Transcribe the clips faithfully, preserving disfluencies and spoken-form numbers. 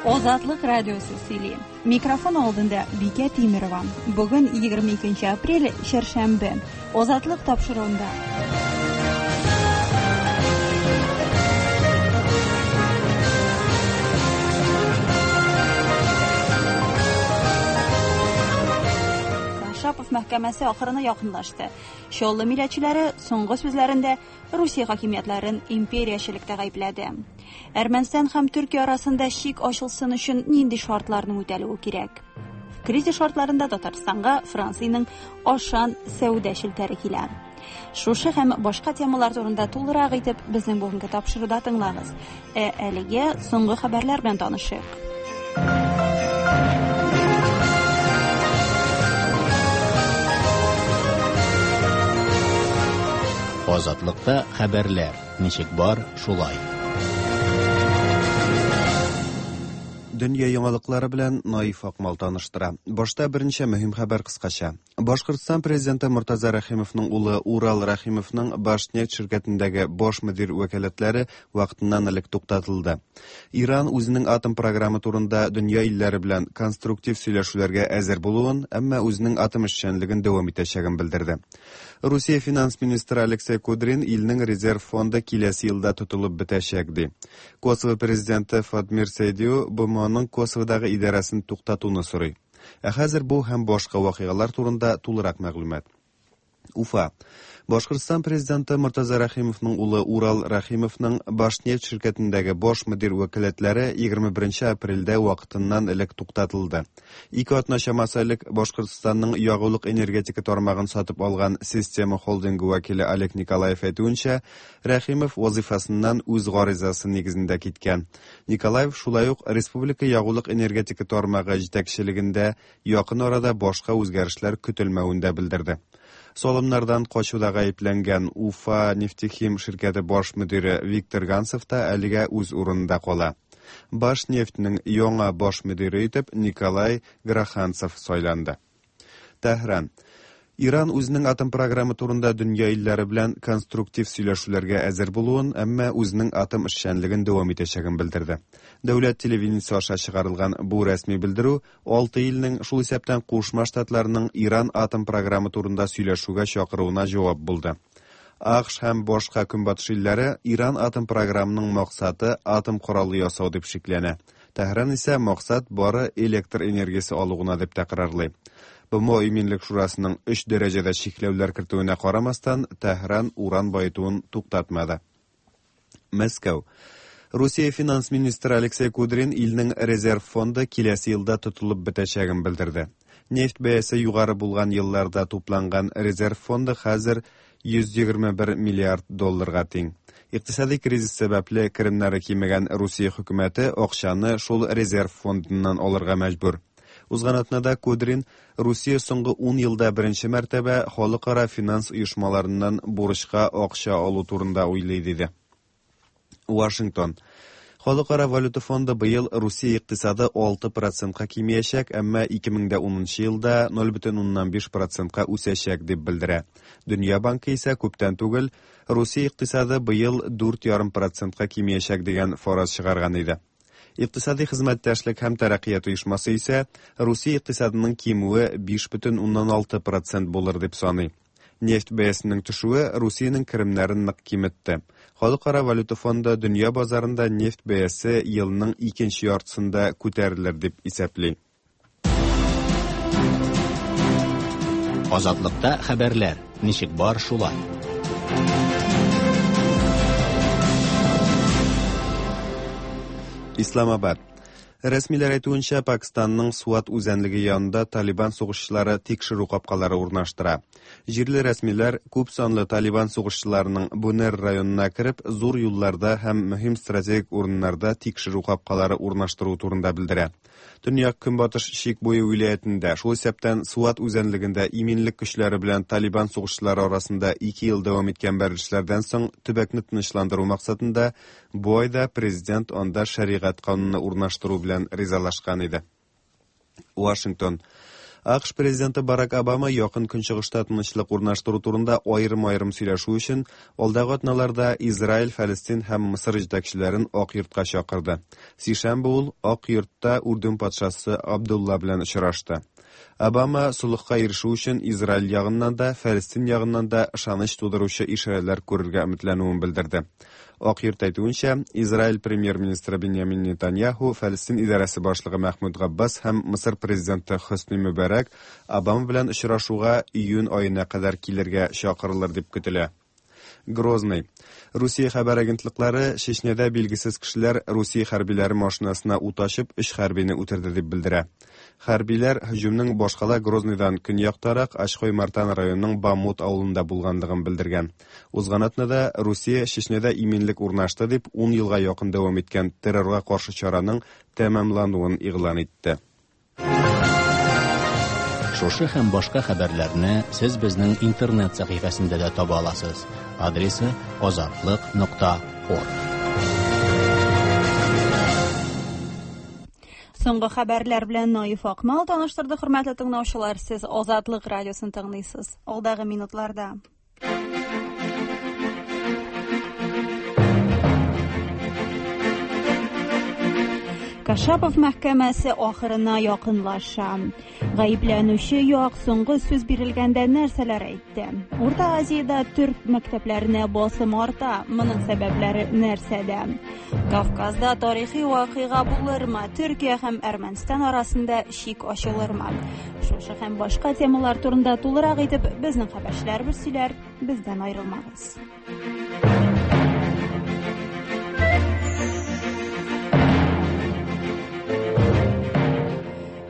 Озатлык радиосы сөйли. Микрофон алдында Бикә Тимирова. Бүген егерме икенче апрель, чәршәмбе. Озатлык тапшыруында. Кашапов мәхкәмәсе ахырына якынлашты. Чаллы милләтчеләре соңгы сүзләрендә Русия хакимиятләрен империячелектә гаепләде. Әрмәнстан һәм Төркия арасында чик ачылсын өчен нинди шартларның үтәлүе кирәк? Кризис шартларында Татарстанга Франциянең Ашан сәүдә челтәре килә. Шушы һәм башка темалар турында тулырак итеп безнең бүгенге тапшыруда тыңлагыз. Ә әлегә соңгы хәбәрләр белән танышыйк. Азатлыкта хәбәрләр ничек бар, шулай. Дөнья яңалыклары белән Наиф Акмал таныштыра. Башта берничә мөһим хәбәр кыскача. Башкортстан президенты Мортаза Рәхимовның улы Урал Рәхимовның Башнефть ширкәтендәге баш мөдир вәкаләтләре вакытыннан элек туктатылды. Иран үзенең атом программы турында дөнья илләре белән конструктив сөйләшүләргә әзер булуын, әмма үзенең атом эшчәнлеген дәвам итәчәген белдерде. Русия финанс министры Алексей Кудрин илнең резерв фонды киләсе елда тотылып бетәчәк ди. Косово президенты Фатмир Сейдиу БМОның Косоводагы идарәсен туктатуны сорый. Ә хәзер бу һәм башка вакыйгалар турында тулырак мәгълүмат. Уфа. Башкортстан президенты Мортаза Рәхимовның улы Урал Рәхимовның Башнефть ширкәтендәге баш мөдир вәкаләтләре егерме беренче апрельдә вакытыннан элек туктатылды. Ике атна чамасы элек Башкортстанның ягулык энергетика тармагын сатып алган Система холдингы вәкиле Олег Николаев әйтүенчә, Рәхимов вазифасыннан үз гаризасы нигезендә киткән. Николаев шулай ук республика ягулык энергетика тармагы җитәкчелегендә якын арада башка үзгәрешләр көтелмәвен дә белдерде. Салымнардан качуда гаепләнгән Уфа нефтехим ширкәте баш мөдире Виктор Гансов та әлегә үз урынында кала. Башнефтьнең яңа баш мөдире итеп Николай Граханцев сайланды. Тәһран. Иран үзенең атом программы турында дөнья илләре белән конструктив сөйләшүләргә әзер булуын, әмма үзенең атом эшчәнлеген дәвам итәчәген белдерде. Дәүләт телевидениесе аша чыгарылган бу рәсми белдерү алты илнең, шул исәптән Кушма Штатларының Иран атом программы турында сөйләшүгә чакыруына җавап булды. АКШ һәм башка көнбатыш илләре Иран атом программының максаты атом коралы ясау дип шикләнә. Тәһран исә максат бары электр энергиясе алу гына дип тәкрарлый. БМО Иминлек Шурасының өч дәрәҗәдә чикләүләр кертүенә карамастан, Тәһран уран баетуын туктатмады. Мәскәү. Русия финанс министры Алексей Кудрин илнең резерв фонды киләсе елда тотылып бетәчәген белдерде. Нефть бәясе югары булган елларда тупланган резерв фонды хәзер йөз егерме бер миллиард долларга тиң. Икътисади кризис сәбәпле керемнәре кимегән Русия хөкүмәте акчаны шул резерв фондыннан алырга мәҗбүр. Узган атнада Кудрин Русия соңгы ун елда беренче мәртәбә халыкара финанс оешмаларыннан бурычка акча алу турында уйлый диде. Вашингтон. Халыкара валюта фонды быел Русия икътисады алты процентка кимиячәк, әмма ике мең дә унынчы елда ноль бөтен уннан биш процентка үсәчәк дип белдерә. Дөнья банкы исә күптән түгел Русия икътисады быел дүрт ярым процентка кимиячәк дигән фараз чыгарган иде. Икътисади хезмәттәшлек һәм тәрәккыят оешмасы исә Русия икътисадының кимүе биш бөтен уннан алты процент булыр дип саный. Нефть бәясенең төшүе Русиянең керемнәрен нык киметте. Халыкара валюта фонды дөнья базарында нефть бәясе елның икенче яртысында күтәрелер дип исәпли. Азатлыкта хәбәрләр ничек бар, шулай. Исламабад. Рәсмиләр әйтүенчә, Пакистанның Суат үзәнлеге янында Талибан сугышчылары тикшерү капкалары урнаштыра. Җирле рәсмиләр күп санлы Талибан сугышчыларының Бунер районына кереп, зур юлларда һәм мөһим стратегик урыннарда тикшерү капкалары урнаштыру турында белдерә. Төньяк Көнбатыш чик буе вилаятендә, шул исәптән Суат үзәнлегендә иминлек көчләре белән Талибан сугышчылары арасында ике ел дәвам иткән бәрелешләрдән соң төбәкне тынычландыру максатында бу айда президент анда шәригать кануны урнаштыру белән ризалашкан иде. Вашингтон. А К Ш президенты Барак Обама Якын Көнчыгышта тынычлык урнаштыру турында аерым-аерым сөйләшү өчен алдагы атналарда Израиль, Фәлестин һәм Мысыр җитәкчеләрен Ак Йортка чакырды. Сишәмбе ул Ак Йортта Үрдүн патшасы Абдулла белән очрашты. Обама солыхка ирешү өчен Израиль ягыннан да, Фәлестин ягыннан да ышаныч тудыручы ишарәләр күрергә өметләнүен белдерде. Ак Йорт әйтүенчә, Израиль премьер-министры Беньямин Нетаньяху, Фәлестин идарәсе башлыгы Мәхмүд Габбас һәм Мысыр президенты Хөсни Мөбарәк Обама белән очрашуга июнь аена кадәр килергә чакырылыр дип көтелә. Грозный. Русия хәбәр агентлыклары Чечняда билгесез кешеләр Русия хәрбиләре машинасына ут ачып, өч хәрбине үтерде дип белдерә. Хәрбиләр һөҗүмнең башкала Грозныйдан көньяктарак Ачхой-Мартан районының Бамут авылында булганлыгын белдергән. Узган атнада Русия Чечняда иминлек урнашты дип ун елга якын дәвам иткән террорга каршы чараның тәмамлануын игълан итте. Шушы һәм башка хәбәрләрне сез безнең интернет сәхифәсендә дә таба аласыз. Адресы азатлык нокта орг. Соңгы хәбәрләр белән Наиф Акмал таныштырды. Хөрмәтле тыңлаучылар, сез Азатлык радиосын тыңлыйсыз. Алдагы минутларда Кашапов мәхкәмәсе ахырына якынлаша. Гаепләнүче як соңгы сүз бирелгәндә нәрсәләр әйтте? Урта Азиядә түрк мәктәпләренә басым арта. Моның сәбәпләре нәрсәдә? Кавказда тарихи вакыйга булырмы? Төркия һәм Әрмәнстан арасында чик ачылырмы? Шушы һәм башка темалар турында тулырак итеп безнең хәбәрчеләребез сөйләр. Бездән аерылмагыз.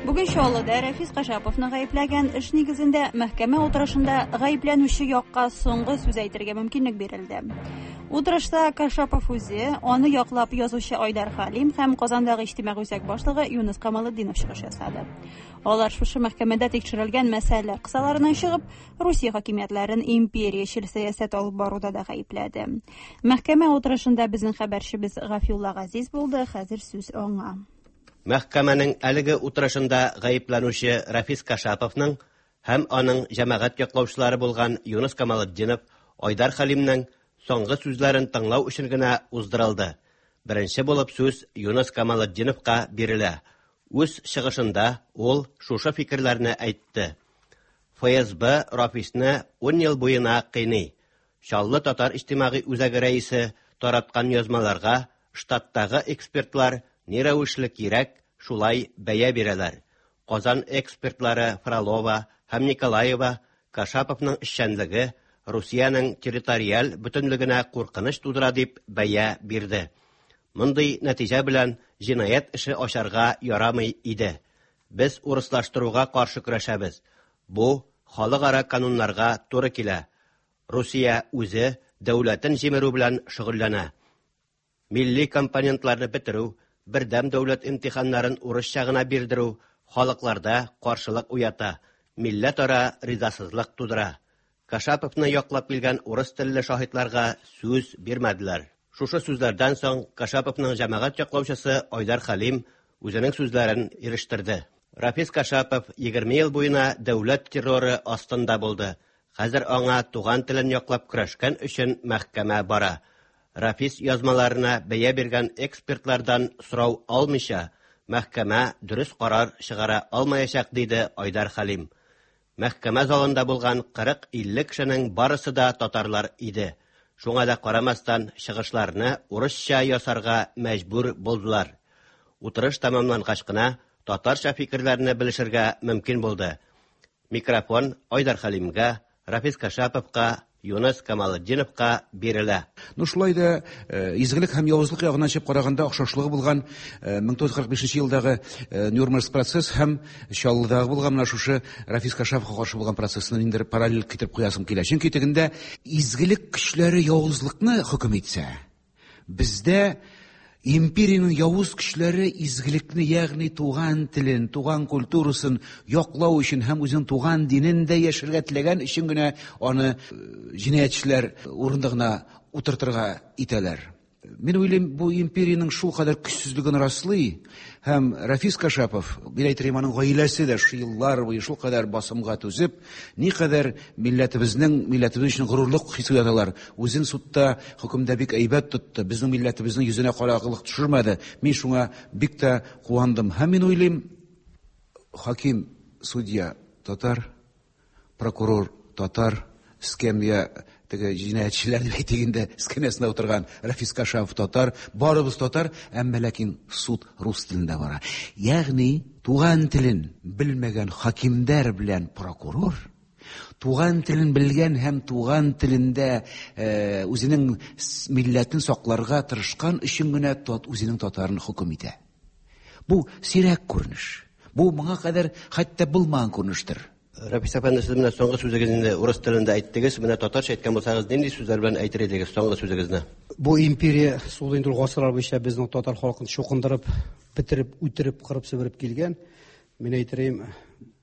Бүген Чаллыда Рәфис Кашаповны гаепләгән эш нигезендә мәхкәмә утырышында гаепләнүче якка соңгы сүз әйтергә мөмкинлек бирелде. Утырышта Кашапов үзе, аны яклап язучы Айдар Хәлим һәм Казандагы иҗтимагый үзәк башлыгы Юныс Камалетдинов чыгыш ясады. Алар шушы мәхкәмәдә тикшерелгән мәсьәләләр кысаларыннан чыгып, Русия хакимиятләрен империячел сәясәт алып баруда да гаепләде. Мәхкәмә утырышында безнең хәбәрчебез Гафиулла Газиз булды, хәзер сүз аңа. Мәхкәмәнең әлеге утырышында гаепләнүче Рафис Кашаповның һәм аның җәмәгать яклаучылары булган Юныс Камалетдинов, Айдар Хәлимнең соңгы сүзләрен тыңлау өчен генә уздырылды. Беренче булып сүз Юныс Камалетдиновка бирелә. Үз чыгышында ул шушы фикерләрне әйтте. Эф Эс Бэ Рафисны ун ел буена кыйный. Чаллы татар иҗтимагый үзәге рәисе тараткан язмаларга штаттагы экспертлар ни рәвешле кирәк, шулай бәя бирәләр. Казан экспертлары Фролова һәм Николаева Кашаповның эшчәнлеге Русиянең территориаль бөтенлегенә куркыныч тудыра дип бәя бирде. Мондый нәтиҗә белән җинаять эше ачарга ярамый иде. Без урыслаштыруга каршы көрәшәбез. Бу халыкара кануннарга туры килә. Русия үзе дәүләтен җимерү белән шөгыльләнә. Милли компонентларны бетерү, бердәм дәүләт имтиханнарын урысча гына бирдерү халыкларда каршылык уята, милләтара ризасызлык тудыра. Кашаповны яклап килгән урыс телле шаһитларга сүз бирмәделәр. Шушы сүзләрдән соң Кашаповның җәмәгать яклаучысы Айдар Хәлим үзенең сүзләрен ирештерде. Рафис Кашапов егерме ел буена дәүләт терроры астында булды. Хәзер аңа туган телен яклап көрәшкән өчен мәхкәмә бара. Рафис язмаларына бәя биргән экспертлардан сорау алмыйча, мәхкәмә дөрес карар чыгара алмаячак, диде Айдар Хәлим. Мәхкәмә залында булган кырык-илле кешенең барысы да татарлар иде. Шуңа да карамастан чыгышларны урысча ясарга мәҗбүр булдылар. Утырыш тәмамлангач кына татарча фикерләрне белешергә мөмкин булды. Микрофон Айдар Хәлимгә, Рафис Кашаповка, Юныс Камалетдиновка бирелә. Ну, шулай да э, изгелек һәм явызлык ягыннан чыгып караганда охшашлыгы булган э, мең тугыз йөз кырык бишенче елдагы э, Нюрнберг процесс һәм Чаллыдагы булган менә шушы Рафис Кашаповка каршы булган процессны ниндидер параллель китереп куясым килә. Чөнки тегендә изгелек көчләре явызлыкны хөкем итсә, бездә империянең явыз көчләре изгелекне, ягъни туган телен, туган культурасын яклау өчен һәм үзенең туган динен дә яшәргә теләгән өчен генә аны җинаятьчеләр урындыгына утыртырга итәләр. Мин уйлыйм, бу империянең шул кадәр көчсезлеген раслый, һәм Рафис Кашапов, мин әйтер аның гаиләсе дә шул еллар буе шул кадәр басымга түзеп, никадәр милләтебезнең, милләтебез өчен горурлык хисе уяталар. Үзен судта, хөкемдә бик әйбәт тотты, безнең милләтебезнең йөзенә караңгылык төшермәде. Мин шуңа бик тә куандым. Һәм мин уйлыйм, хаким, судья татар, прокурор татар, эскәмия теге җинаятьчеләр дип әйтик инде, эскәмиясендә утырган Рафис Кашапов татар, барыбыз татар, әмма ләкин суд рус телендә бара. Ягъни туган телен белмәгән хакимдәр белән прокурор туган телен белгән һәм туган телендә үзенең милләтен сакларга тырышкан өчен генә үзенең татарын хөкем итә. Бу сирәк күренеш. Бу моңа кадәр хәтта булмаган күренештер. Рафис әфәнде, сез менә соңгы сүзегезне урыс телендә әйттегез, менә татарча әйткән булсагыз, нинди сүзләр белән әйтер идегез соңгы сүзегезне? Бу империя суды инде ул гасырлар буенча безнең татар халкын чукындырып, бетереп, үтереп, кырып себереп килгән. Мин әйтерем,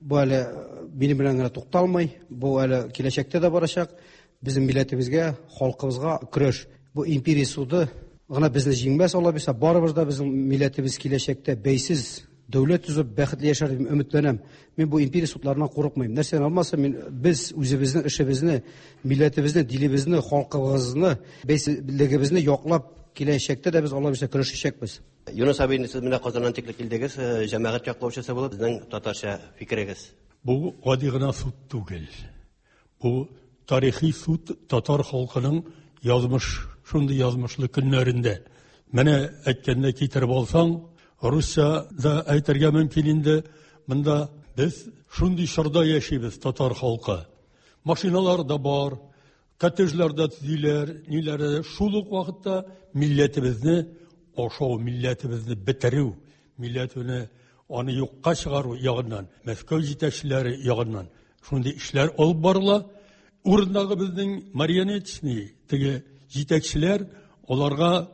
бу әле минем белән генә тукталмый, бу әле киләчәктә дә барачак. Безнең милләтебезгә, халкыбызга көрәш. Бу империя суды гына безне җиңмәс, Алла бирсә, барыбыз да безнең милләтебез киләчәктә бәйсез дәүләт төзеп бәхетле яшәр дип өметләнәм. Мин бу империя судларыннан курыкмыйм. Нәрсәне алмаса, мин без үзебезнең эшебезне, милләтебезне, дилебезне, халкыбызны, бәйсезлегебезне яклап киләчәктә дә без Алла бирсә көрәшәчәкбез. Юнус абый, сез менә Казаннан тикле килдегез, җәмәгать яклаучысы булып, безнең татарча фикерегез. Бу гади гына суд түгел. Бу тарихи суд татар халкының язмыш, шундый язмышлы көннәрендә. Менә әйткәндә китереп алсаң, русча да әйтергә мөмкин инде. Монда без шундый чорда яшибез, татар халкы. Машиналар да бар, коттеджлар да төзиләр, ниләр дә. Шул ук вакытта милләтебезне ашау, милләтебезне бетерү, милләтне аны юкка чыгару ягыннан, Мәскәү җитәкчеләре ягыннан шундый эшләр алып барыла. Урындагы безнең марионеточный теге җитәкчеләр аларга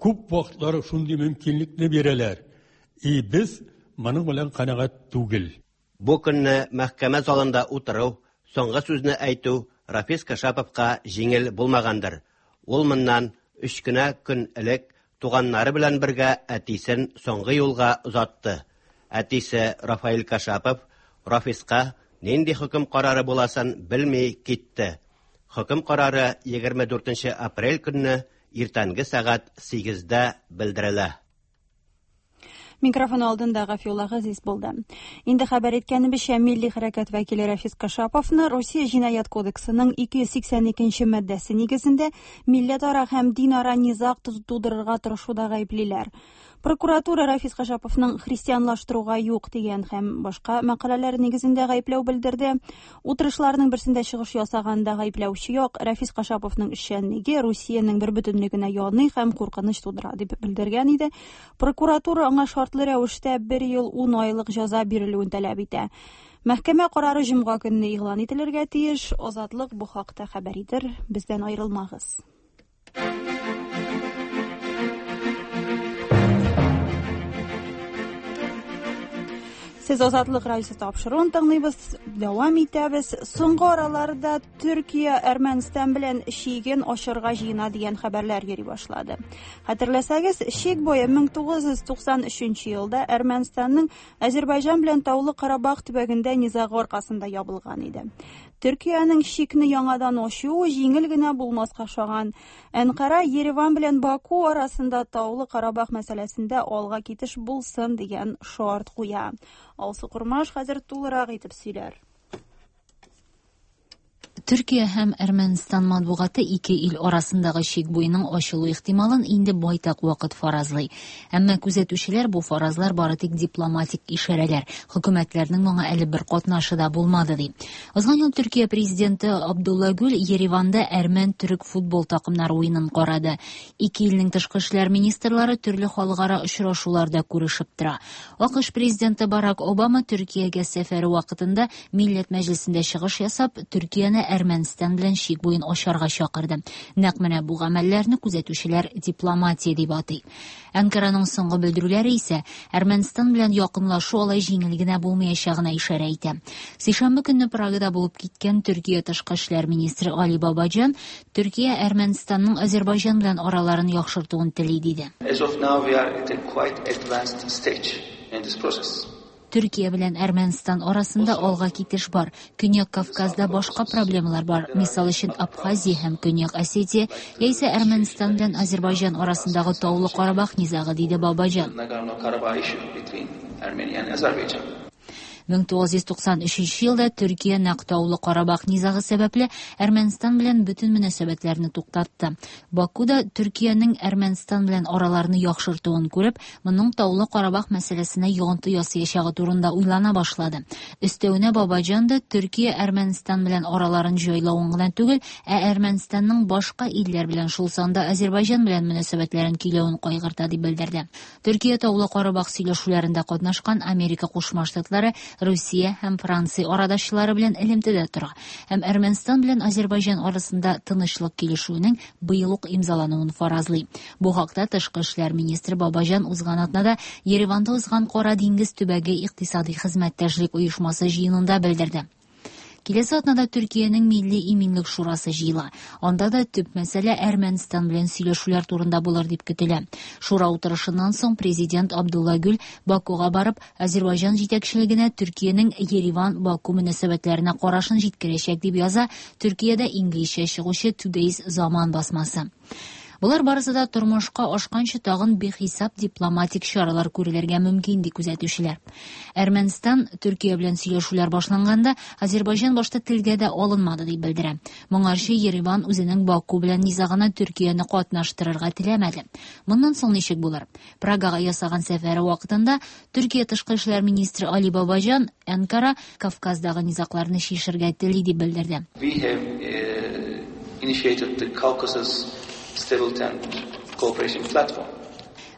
күп вакытлары шундый мөмкинлекне бирәләр. И без моның белән канәгать түгел. Бу көнне мәхкәмә залында утыру, соңгы сүзне әйтү Рафис Кашаповка җиңел булмагандыр. Ул моннан өч кенә көн элек туганнары белән бергә әтисен соңгы юлга озатты. Әтисе Рафаэль Кашапов Рафиска нинди хөкем карары буласын белми китте. Хөкем карары егерме дүртенче апрель көнне иртәнге сәгать сигездә белдерелә. Микрофон алдында Гафиулла Газиз булды. Инде хәбәр иткәнебезчә, милли хәрәкәт вәкиле Рафис Кашаповны Русия җинаять кодексының ике йөз сиксән икенче маддәсе нигезендә милләтара һәм динара низаг тудырырга тырышуда гаеплиләр. Прокуратура Рафис Кашаповның христианлаштыруга юк дигән һәм башка мәкаләләр нигезендә гаепләү белдерде. Утырышларның берсендә чыгыш ясаганда гаепләүче як Рафис Кашаповның эшчәнлеге Русиянең бер бөтенлегенә яный һәм куркыныч тудыра дип белдергән иде. Прокуратура аңа шартлы рәвештә бер ел ун айлык җәза бирелүен таләп итә. Мәхкәмә карары җомга көнне игълан ителергә тиеш. Азатлык бу хакта хәбәр итер. Бездән аерылмагыз. Сез Азатлык радиосы тапшыруын тыңлыйбыз, дәвам итәбез. Соңгы араларда Төркия Әрмәнстан белән чиген ачырга җыена дигән хәбәрләр йөри башлады. Хәтерләсәгез, чик буе мең тугыз йөз туксан өченче елда Әрмәнстанның Азербайҗан белән Таулы Карабах төбәгендә низагы аркасында ябылган иде. Төркиянең чикне яңадан ачуы җиңел генә булмаска охшаган. Әнкара Ереван белән Баку арасында Таулы Карабах мәсьәләсендә алга китеш булсын дигән шарт куя. Алсу Курмаш хәзер тулырак итеп сөйләр. Төркия һәм Әрмәнстан матбугаты ике ил арасындагы чик буеның ачылу ихтималын инде байтак вакыт фаразлый. Әмма күзәтүчеләр бу фаразлар бары тик дипломатик ишарәләр, хөкүмәтләрнең моңа әле бер катнашы да булмады ди. Узган ел Төркия президенты Абдулла Гүл Ереванда әрмән-төрек футбол такымнары уенын карады. Ике илнең тышкы эшләр министрлары төрле халыкара очрашуларда күрешеп тора. АКШ президенты Барак Обама Төркиягә сәфәре вакытында Милләт Мәҗлесендә чыгыш ясап, Төркияне Әрмәнстан белән чик буен ачарга чакырды. Нәкъ менә бу гамәлләрне күзәтүчеләр дипломатия дип атый. Анкараның соңгы белдерүләре исә Әрмәнстан белән якынлашу алай җиңел генә булмаячагына ишарә итә. Сишәмбе көнне Прагада булып киткән Төркия тышкы эшләр министры Али Бабаҗан Төркия Әрмәнстанның Азербайҗан белән араларын яхшыртуын тели диде. As of now we are at a quite advanced stage in this process. Төркия белән Әрмәнстан арасында алга китеш бар. Көньяк Кавказда башка проблемалар бар. Мисал өчен Абхазия һәм Көньяк Осетия, яисә Әрмәнстан белән Азербайҗан арасындагы Таулы Карабах низагы, диде Бабаҗан. мең тугыз йөз туксан өченче елда Төркия нәкъ Таулы Карабах низагы сәбәпле Әрмәнстан белән бөтен мөнәсәбәтләрне туктатты. Бакуда Төркиянең Әрмәнстан белән араларны яхшыртуын күреп, моның Таулы Карабах мәсьәләсенә йогынты ясаячагы турында уйлана башлады. Өстәвенә Бабаҗан да Төркия Әрмәнстан белән араларын җайлавын гына түгел, ә Әрмәнстанның башка илләр белән, шул санда Азербайҗан белән мөнәсәбәтләрен көйләвен кайгырта дип белдерде. Төркия Таулы Карабах сөйләшүләрендә катнашкан Америка Кушма Штатлары, Русия һәм Франция арадашчылары белән элемтәдә тора һәм Әрмәнстан белән Азербайҗан арасында тынычлык килешүенең быел ук имзалануын фаразлый. Бу хакта тышкы эшләр министры Бабаҗан узган атнада Ереванда узган Кара диңгез төбәге икътисади хезмәттәшлек оешмасы җыенында белдерде. Киләсе атнада Төркиянең Милли иминлек шурасы җыела. Анда да төп мәсьәлә Әрмәнстан белән сөйләшүләр турында булыр дип көтелә. Шура утырышыннан соң президент Абдулла Гүл Бакуга барып, Азербайҗан җитәкчелегенә Төркиянең Ереван-Баку мөнәсәбәтләренә карашын җиткерәчәк дип яза Төркиядә инглизчә чыгучы Today's Zaman басмасы. Булар барысы да тормышка ашканчы тагын бихисап дипломатик чаралар күрелергә мөмкин ди күзәтүчеләр. Әрмәнстан Төркия белән сөйләшүләр башланганда Азербайҗан башта телгә дә алынмады дип белдерә. Моңарчы Ереван үзенең Баку белән низагына Төркияне катнаштырырга теләмәде. Моннан соң ничек булыр? Прагага ясаган сәфәре вакытында Төркия тышкы эшләр министры Али Бабаҗан Анкара Кавказдагы низагларны чишергә тели дип белдерде. We have uh, initiated the Caucasus Stability and Cooperation Platform.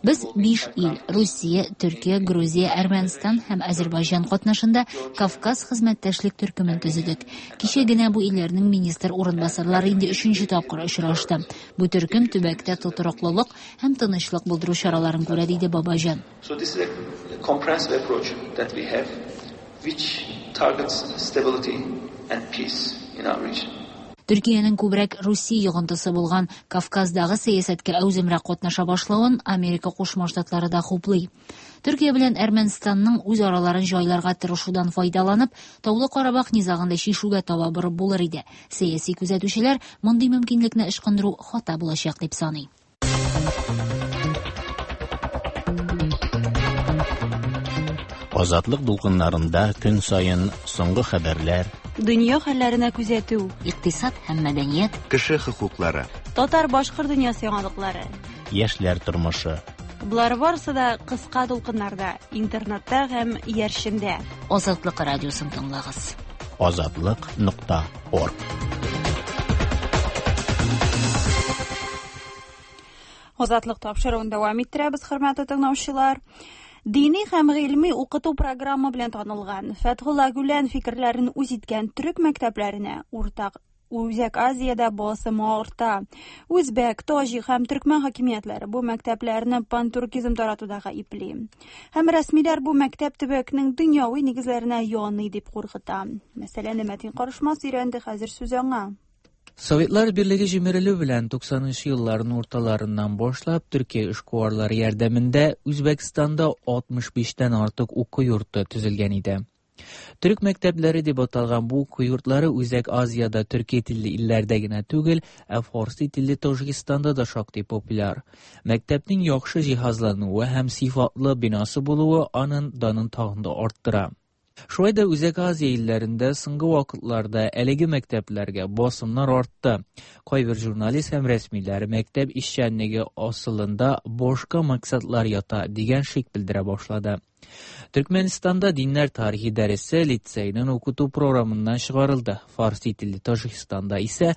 Без биш ил Русия, Төркия, Грузия, Әрмәнстан һәм Азербайҗан катнашында Кавказ хезмәттәшлек төркемен төзедек. Кичә генә бу илләрнең министр урынбасарлары инде өченче тапкыр очрашты. Бу төркем төбәктә тотрыклылык һәм тынычлык булдыру чараларын күрә, диде Бабаҗан. So this is a comprehensive approach that we have, which targets stability and peace in our region. Төркиянең күбрәк Русия йогынтысы булган Кавказдагы сәясәткә әүземрәк катнаша башлавын Америка Кушма Штатлары да хуплый. Төркия белән Әрмәнстанның үз араларын җайларга тырышудан файдаланып, Таулы Карабах низагын да чишүгә таба борып булыр иде. Сәяси күзәтүчеләр мондый мөмкинлекне ычкындыру хата булачак дип саный. Азатлык дулкыннарында көн саен соңгы хәбәрләр, дөнья хәлләренә күзәтү, икътисад һәм мәдәният, кеше хокуклары, татар-башкорт дөньясы яңалыклары, яшьләр тормышы. Болар барысы да кыска дулкыннарда, интернетта һәм иярчендә. Азатлык радиосын тыңлагыз. Азатлык нокта орг. Азатлык тапшыруын дәвам иттерәбез, хөрмәтле тыңлаучылар. Дини һәм гыйльми укыту программа белән танылган Фәтхулла Гүлән фикерләрен үз иткән төрек мәктәпләренә уртак Үзәк Азиядә басым арта. Үзбәк, таҗик һәм төркмән хакимиятләре бу мәктәпләрне пантуркизм таратуда гаепли. Һәм рәсмиләр бу мәктәп төбәкнең дөньяви нигезләренә яный дип куркыта. Мәсьәләне Мәтин Карышмас өйрәнде, хәзер сүз аңа. Советлар Берлеге җимерелү белән туксанынчы елларның урталарыннан башлап Төркия эшкуарлары ярдәмендә Үзбәкстанда алтмыш биштән артык уку йорты төзелгән иде. Төрек мәктәпләре дип аталган бу уку йортлары Үзәк Азиядә төрки телле илләрдә генә түгел, ә фарси телле Таҗикстанда да шактый популяр. Мәктәпнең яхшы җиһазлануы һәм сыйфатлы бинасы булуы аның данын тагын да арттыра. Шулай да Үзәк Азия илләрендә соңгы вакытларда әлеге мәктәпләргә басымнар артты. Кайбер журналист һәм рәсмиләр мәктәп эшчәнлеге асылында башка максатлар ята дигән шик белдерә башлады. Төркмәнстанда диннәр тарихи дәресе лицейның укыту програмыннан чыгарылды. Фарси телле Таҗикстанда исә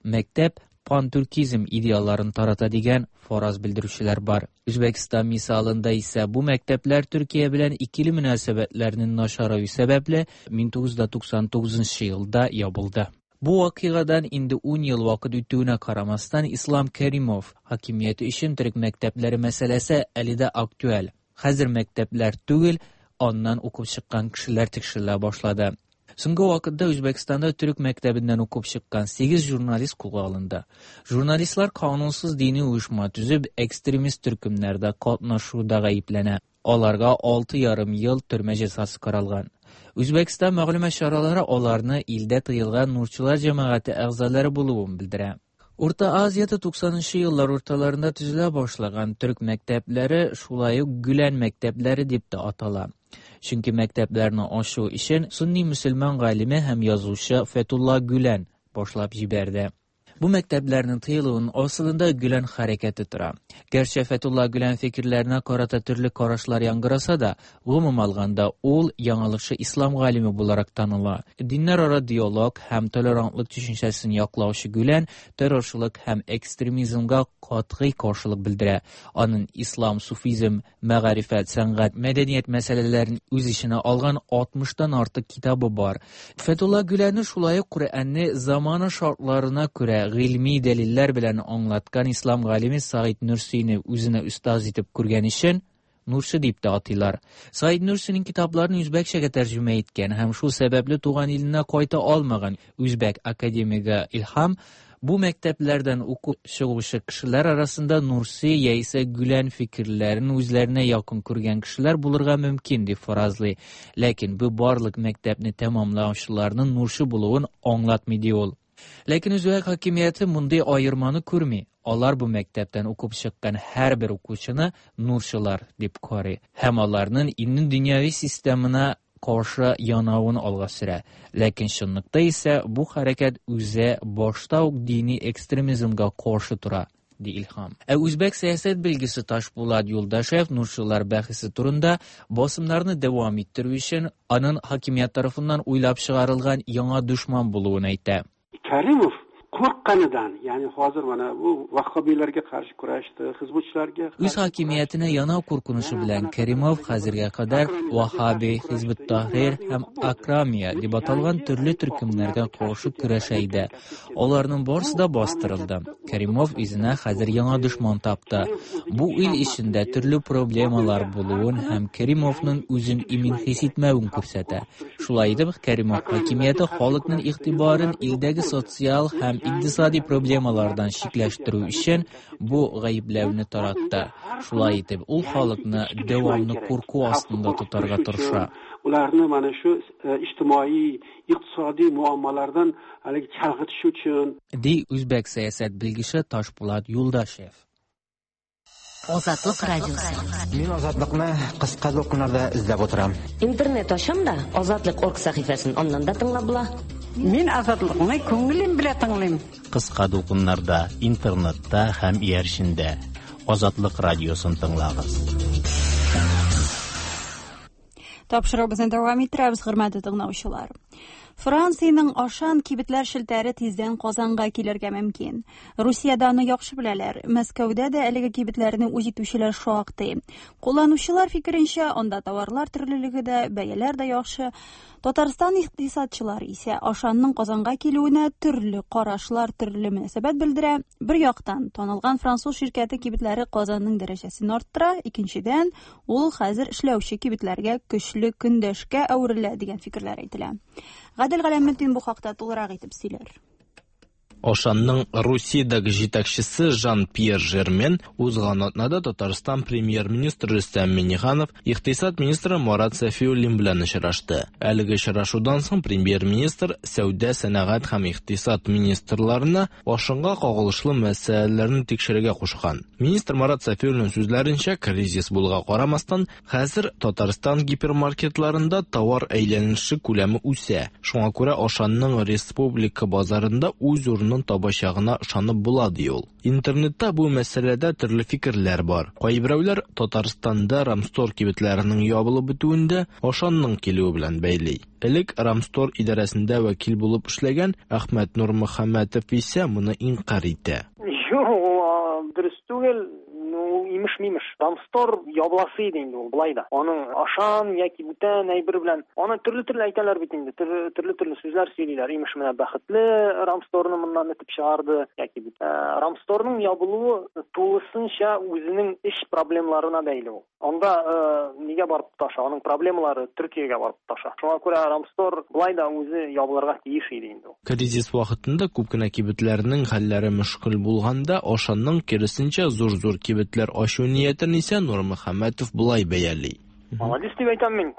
мәктәп пантуркизм идеалларын тарата дигән фараз белдерүчеләр бар. Үзбәкстан мисалында исә бу мәктәпләр Төркия белән икиле мөнәсәбәтләрнең начараю сәбәпле мең тугыз йөз туксан тугызынчы елда ябылды. Бу вакыйгадан инде ун ел вакыт үтүенә карамастан, Ислам Кәримов хакимияте өчен төрек мәктәпләре мәсьәләсе әле дә актуаль. Хәзер мәктәпләр түгел, аннан укып чыккан кешеләр тикшерелә башлады. Соңгы вакытта Үзбәкстанда төрек мәктәбеннән укып чыккан сигез журналист кулга алынды. Журналистлар канунсыз дини оешма төзеп, экстремист төркемнәрдә катнашуда гаепләнә. Аларга алты ярым ел төрмә җәзасы каралган. Үзбәкстан мәгълүмат чаралары аларны илдә тыелган Нурчылар җәмәгате әгъзалары булуын белдерә. Урта Азиядә туксанынчы еллар урталарында төзелә башлаган төрек мәктәпләре шулай ук Гүлән мәктәпләре дип тә атала. Чөнки мәктәпләрне ачу өчен сунни мөселман галиме һәм язучы Фетулла Гүлән башлап җибәрде. Бу мәктәпләрнең тыелуын асылында Гүлән хәрәкәте тора. Гәрчә Фетулла Гүлән фикерләренә карата төрле карашлар яңгыраса да, гомум алганда ул яңалыкчы ислам галиме буларак таныла. Диннәрара диалог һәм толерантлык төшенчәсен яклаучы Гүлән террорчылык һәм экстремизмга катгый каршылык белдерә. Аның ислам, суфизм, мәгарифәт, сәнгать, мәдәният мәсьәләләрен үз эченә алган алтмыштан артык китабы бар. Фетулла Гүләнне шулай ук Коръәнне замана шартларына күрә гыйльми дәлилләр белән аңлаткан ислам галиме Саид Нурсины үзенә остаз итеп күргән өчен Нурсы дип тә атыйлар. Саид Нурсинең китапларын үзбәкчәгә тәрҗемә иткән һәм шул сәбәпле туган иленә кайта алмаган үзбәк академигы Илһам бу мәктәпләрдән укып чыгучы кешеләр арасында Нурси яисә Гүлән фикерләрен үзләренә якын күргән кешеләр булырга мөмкин дип фаразлый. Ләкин бу барлык мәктәпне тәмамлаучыларның Нуршы булуын аңлатмый ди ул. Ләкин үзбәк хакимияте мондый аерманы күрми. Алар бу мәктәптән укып чыккан һәрбер укучыны нурчылар дип карый һәм аларның илнең дөньяви системына каршы янавын алга сөрә. Ләкин чынлыкта исә бу хәрәкәт үзе башта ук дини экстремизмга каршы тора, ди Илһам. Ә үзбәк сәясәт белгесе Ташбулат Юлдашев нурчылар бәхәсе турында басымнарны дәвам иттерү өчен аның хакимият тарафыннан уйлап чыгарылган яңа дошман булуын әйтә. Karimov qo'rqqanidan, ya'ni hozir mana bu vahhobiylarga qarshi kurashdi, hizbutchilarga Үз хакимиятенә янау куркынышы белән Каримов хәзергә кадәр Ваххаби, Хизбут Тахрир һәм Акрамия дип аталган төрле төркемнәргә каршы көрәшә иде. Аларның барысы да бастырылды. Каримов үзенә хәзер яңа дошман тапты. Бу ил эчендә төрле проблемалар булуын һәм Каримовның үзен имин хис итмәвен күрсәтә. Шулай итеп, Каримов хакимияте халыкның игътибарын илдәге социаль һәм икътисади проблемалардан читләштерү өчен бу гаепләүне таратты. Шулай итеп, ул халыкны дәвамлы курку астында тотарга тырыша. Ularni mana shu ijtimoiy, iqtisodiy muammolardan haligi chalg'itish uchun, ди үзбәк сәясәт белгече Ташбулат Юлдашев. Азатлык радиосы. Мин Азатлыкны кыска дулкыннарда эзләп утырам. Интернет ачам да Азатлык орг сәхифәсен аннан да тыңлап була. Мин Азатлыкны күңелем белән тыңлыйм. Кыска дулкыннарда, интернетта һәм иярчендә Азатлык радиосын тыңлагыз. Тапшыруыбызны дәвам иттерәбез, хөрмәтле тыңлаучылар. Франциянең Ашан кибетләр челтәре тиздән Казанга килергә мөмкин. Русиядә аны яхшы беләләр. Мәскәүдә дә әлеге кибетләрне үз итүчеләр шактый. Кулланучылар фикеренчә, анда товарлар төрлелеге дә, бәяләр дә яхшы. Татарстан икътисадчылары исә Ашанның Казанга килүенә төрле карашлар, төрле мөнәсәбәт белдерә. Бер яктан, танылган француз ширкәте кибетләре Казанның дәрәҗәсен арттыра, икенчедән, ул хәзер эшләүче кибетләргә көчле көндәшкә әверелә дигән фикерләр әйтелә. Гадел Галәметдин бу хакта тулырак итеп сөйләр. Ашанның Русиядәге җитәкчесе Жан-Пьер Жермен узган атнада Татарстан премьер-министры Рөстәм Миңнеханов, икътисад министры Марат Сафиуллин белән очрашты. Әлеге очрашудан соң премьер-министр сәүдә, сәнәгать һәм икътисад министрларына Ашанга кагылышлы мәсьәләләрне тикшерергә кушкан. Министр Марат Сафиуллин сүзләренчә, кризис булуга карамастан, хәзер Татарстан гипермаркетларында товар әйләнеше күләме үсә. Шуңа күрә Ашанның республика базарында үз урынын табачагына ышанып була, ди ул. Интернетта бу мәсьәләдә төрле фикерләр бар. Кайберәүләр Татарстанда Рамстор кибетләренең ябылып бетүендә Ашанның килүе белән бәйли. Элек Рамстор идарәсендә вәкил булып эшләгән Әхмәт Нурмөхәммәтов исә моны инкарь итә. Юк, ул дөрес түгел. имеш-мимеш. Рамстор ябыласы иде инде ул болай да. Аның Ашан яки бүтән әйбер белән аны төрле-төрле әйтәләр бит инде. Төрле-төрле сүзләр сөйлиләр. Имеш менә бәхетле Рамсторны моннан этеп чыгарды яки Рамсторның ябылуы тулысынча үзенең эш проблемаларына бәйле ул. Анда нигә барып тоташа? Аның проблемалары Төркиягә барып тоташа. Шуңа күрә Рамстор болай да үзе ябылырга тиеш иде инде. Кризис вакытында күп кенә кибетләрнең хәлләре мөшкел булганда, Ашанның киресенчә зур-зур кибетләр ачу ниятен исә Нурмөхәммәтов болай бәяли. Молодец дип әйтәм мин.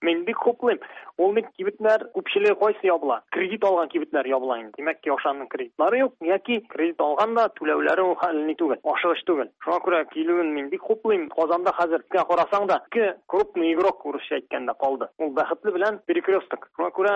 Мин бик хуплыйм. Ул бит кибетләр күпчелеге кайсы ябыла? Кредит алган кибетләр ябыла инде. Димәк ки, Ашанның кредитлары юк, яки кредит алганда түләүләре ул хәлле түгел, ашыгыч түгел. Шуңа күрә килүен мин бик хуплыйм. Казанда хәзер карасаң да, ике крупный игрок урысча әйткәндә калды. Ул бәхетле белән Перекресток. Шуңа күрә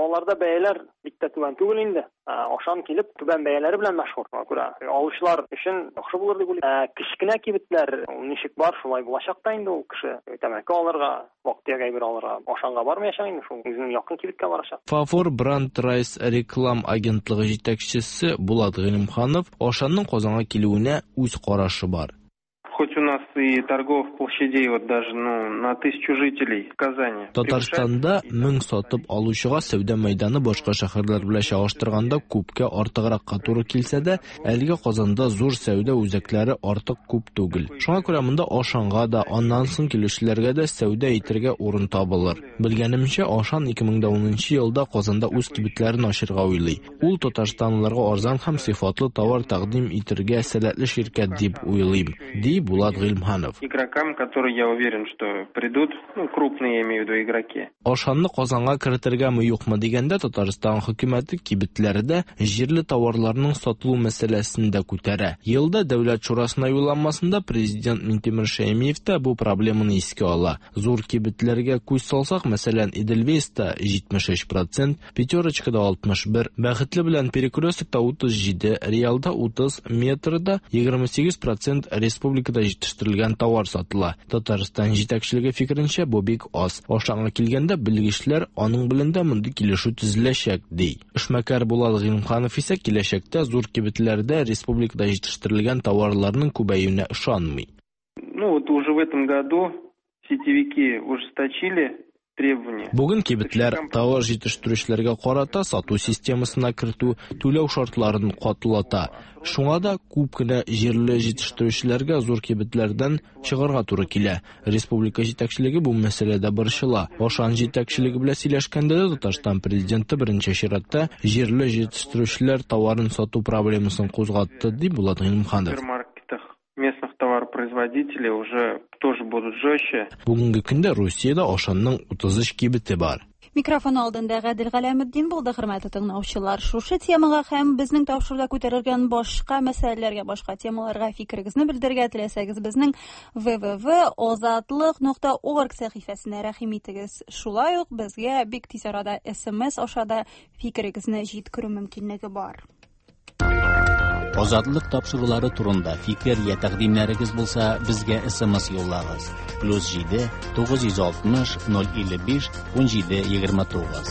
аларда бәяләр бик тә түбән түгел инде. Ашан килеп түбән бәяләре белән мәшһүр. Шуңа күрә алучылар өчен яхшы булыр дип уйлыйм. Кечкенә кибетләр ул ничек бар, шулай булачак та инде ул кеше тәмәке алырга, вак-төяк әйбер алырга Ашанга бармаячак инде, шул үзенең якын кибеткә барачак. Фавор Бранд Райс реклам агентлыгы җитәкчесе Булат Гыйлемханов Ашанның Казанга килүенә үз карашы бар. Хоть у нас и торговых площадей вот даже, ну, на тысячу жителей в Казани. Татарстанда мең сатып алучыга сәүдә мәйданы башка шәһәрләр белән чагыштырганда күпкә артыгракка туры килсә дә, әлегә Казанда зур сәүдә үзәкләре артык күп түгел. Шуңа күрә монда Ашанга да, аннан соң килүчеләргә дә сәүдә итәргә урын табылыр. Белгәнемчә, Ашан ике мең унынчы елда Казанда үз кибетләрен ачырга уйлый. Ул татарстанлыларга арзан һәм сыйфатлы товар тәкъдим итәргә сәләтле ширкәт дип уйлыйм, ди Булат Гыйлемханов. Игрокам, которые, я уверен, что придут, ну, крупные, я имею в виду, игроки. Ашанны Казанга кертергәме юкмы дигәндә, Татарстан хөкүмәте кибетләрдә җирле товарларның сатылу мәсьәләсен дә күтәрә. Елда Дәүләт шурасына юлланмасында президент Минтимер Шәймиев та бу проблеманы искә ала. Зур кибетләргә күз салсак, мәсәлән, Эдельвейста җитмеш өч процент, Пятерочкада алтмыш бер, Бәхетле белән Перекрестокта утыз җиде, Реалда утыз, Метрода егерме сигез процент республикада җитештерелгән товар сатыла. Татарстан җитәкчелеге фикеренчә, бу бик аз. Ашанга килгәндә, белгечләр аның белән дә мондый килешү төзеләчәк, ди. Эшмәкәр Булат Гыйлемханов исә киләчәктә зур кибетләрдә республикада җитештерелгән товарларның күбәюенә ышанмый. Ну вот уже в этом году сетевики ужесточили требования. Бүген кибетләр товар җитештерүчеләргә карата сату системасына кертү, түләү шартларын катылата. Шуңа да күп кенә җирле җитештерүчеләргә зур кибетләрдән чыгарга туры килә. Республика җитәкчелеге бу мәсьәләдә борчыла. Ашан җитәкчелеге белән сөйләшкәндә дә Татарстан президенты беренче чиратта җирле җитештерүчеләр товарын сату проблемасын кузгатты, ди Булат Гыйлемханов. Местных товаропроизводителей уже тоже будут жестче. Бүгенге көндә Русиядә Ашанның утыз өч кибете бар. Микрофон алдында Гадел Галәметдин булды, хөрмәтле тыңлаучылар. Шушы темага һәм безнең тапшыруда күтәрелгән башка мәсьәләләргә, башка темаларга фикерегезне белдерергә теләсәгез, безнең вэ вэ вэ озатлык нокта орг сәхифәсенә рәхим итегез. Шулай ук безгә бик тиз арада эс эм эс аша да фикерегезне җиткерү мөмкинлеге бар. Азатлык тапшырулары турында фикер я тәкъдимнәрегез булса, безгә эс эм эс юллагыз. Плюс җиде тугыз йөз алтмыш ноль илле биш ун җиде егерме тугыз.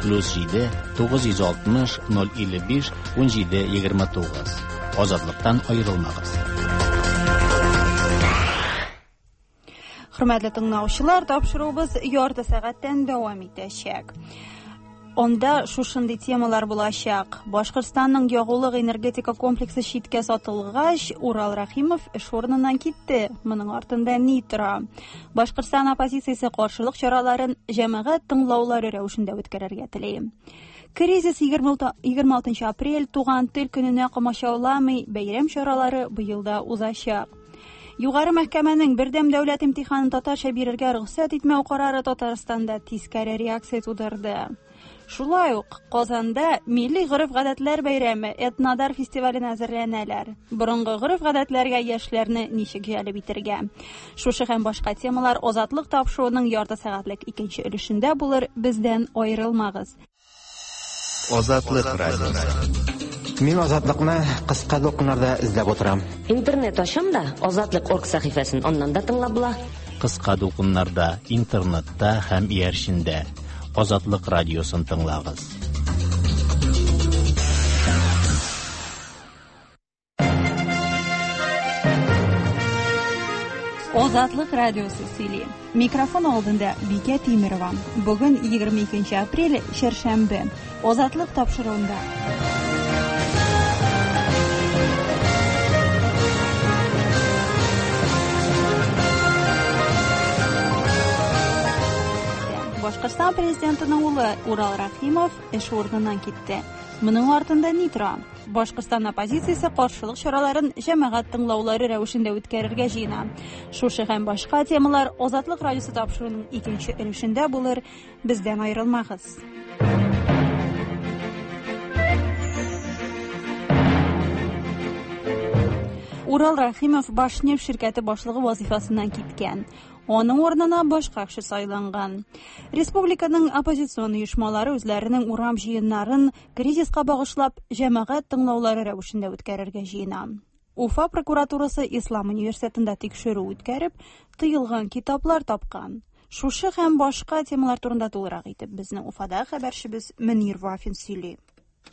Плюс җиде тугыз йөз алтмыш ноль илле биш ун җиде егерме тугыз. Азатлыктан аерылмагыз. Хөрмәтле тыңлаучылар, тапшыруыбыз ярты сәгатьтән дәвам итәчәк. Онда шушындый темалар булачак. Башкортстанның ягулык энергетика комплексы читкә сатылгач, Урал Рәхимов эш урыныннан китте. Моның артында ни тора? Башкортстан оппозициясе каршылык чараларын җәмәгать тыңлаулары рәвешендә үткәрергә тели. Кризис егерме алтынчы апрель туган тел көненә комачауламый, бәйрәм чаралары быел да узачак. Югары мәхкәмәнең бердәм дәүләт имтиханын татарча бирергә рөхсәт итмәү карары Татарстанда тискәре реакция тудырды. Шулай ук Казанда милли гореф-гадәтләр бәйрәме Этнодар фестиваленә әзерләнәләр. Борынгы гореф-гадәтләргә яшьләрне ничек җәлеп итәргә? Шушы һәм башка темалар Азатлык тапшыруының ярты сәгатьлек икенче өлешендә булыр. Бездән аерылмагыз. Азатлык радиосы. Мин Азатлыкны кыска дулкыннарда эзләп утырам. Интернет ачам да Азатлык орг сәхифәсен аннан да тыңлап була. Кыска дулкыннарда, интернетта һәм иярчендә Азатлык радиосын тыңлагыз. Азатлык радиосы сөйли. Микрофон алдында Бикә Тимирова. Бүген егерме икенче апрель, чәршәмбе. Азатлык тапшыруында. Башкортстан президентының улы Урал Рахимов эш урыныннан китте. Моның артында ни тора? Башкортстан оппозициясе каршылык чараларын җәмәгать тыңлаулары рәвешендә үткәрергә җыена. Шушы һәм башка темалар Азатлык радиосы тапшыруының икенче өлешендә булыр. Бездән аерылмагыз. Урал Рахимов Башнефть ширкәте башлыгы вазифасыннан киткән. Аның урынына башка кеше сайланган. Республиканың оппозицион оешмалары үзләренең урам җыеннарын кризиска багышлап җәмәгать тыңлаулары рәвешендә үткәрергә җыена. Уфа прокуратурасы Ислам университетында тикшерү үткәреп, тыелган китаплар тапкан. Шушы һәм башка темалар турында тулырак итеп безнең Уфада хәбәрчебез Мөнир Вафин сөйли.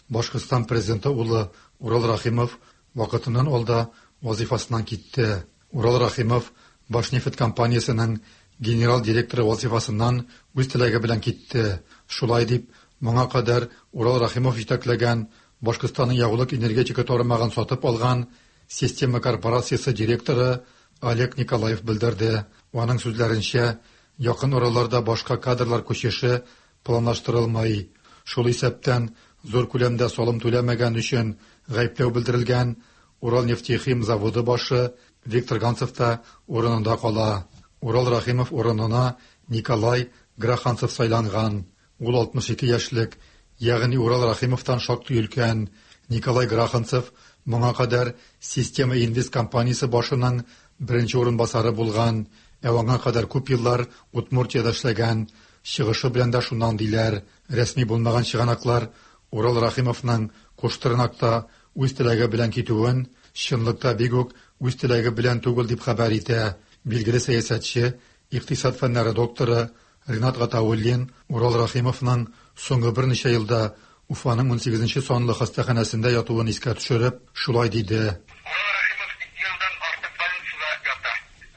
Башкортстан президенты улы Урал Рахимов вакытыннан алда вазифасыннан китте. Урал Рахимов Башнефть компаниясының генерал директоры вазифасыннан үз теләге белән китте. Шулай дип, моңа кадәр Урал Рахимов җитәкләгән Башкортстанның ягулык энергетика тармагын сатып алган Система корпорациясе директоры Олег Николаев белдерде. Аның сүзләренчә, якын араларда башка кадрлар күчеше планлаштырылмый. Шул исәптән зур күләмдә салым түләмәгән өчен гаепләү белдерелгән Урал нефтехим заводы башы Виктор Ганцев та урынында кала. Урал Рахимов урынына Николай Граханцев сайланган. Ул алтмыш ике яшьлек, ягъни Урал Рахимовтан шактый өлкән. Николай Граханцев моңа кадәр Система Инвест компаниясе башының беренче урынбасары булган, ә аңа кадәр күп еллар Удмуртиядә эшләгән. Чыгышы белән дә шуннан диләр. Рәсми булмаган чыганаклар Урал Рахимовның Куштырнакта үз теләге белән китүен чынлыкта бик үк үз теләге белән түгел дип хәбәр итә. Билгеле сәясәтче, икътисад фәннәре докторы Ринат Гатауллин Урал Рахимовның соңгы берничә елда Уфаның унсигезенче санлы хастаханәсендә ятуын искә төшереп, шулай диде. Урал Рахимов ике елдан артык больницада ята.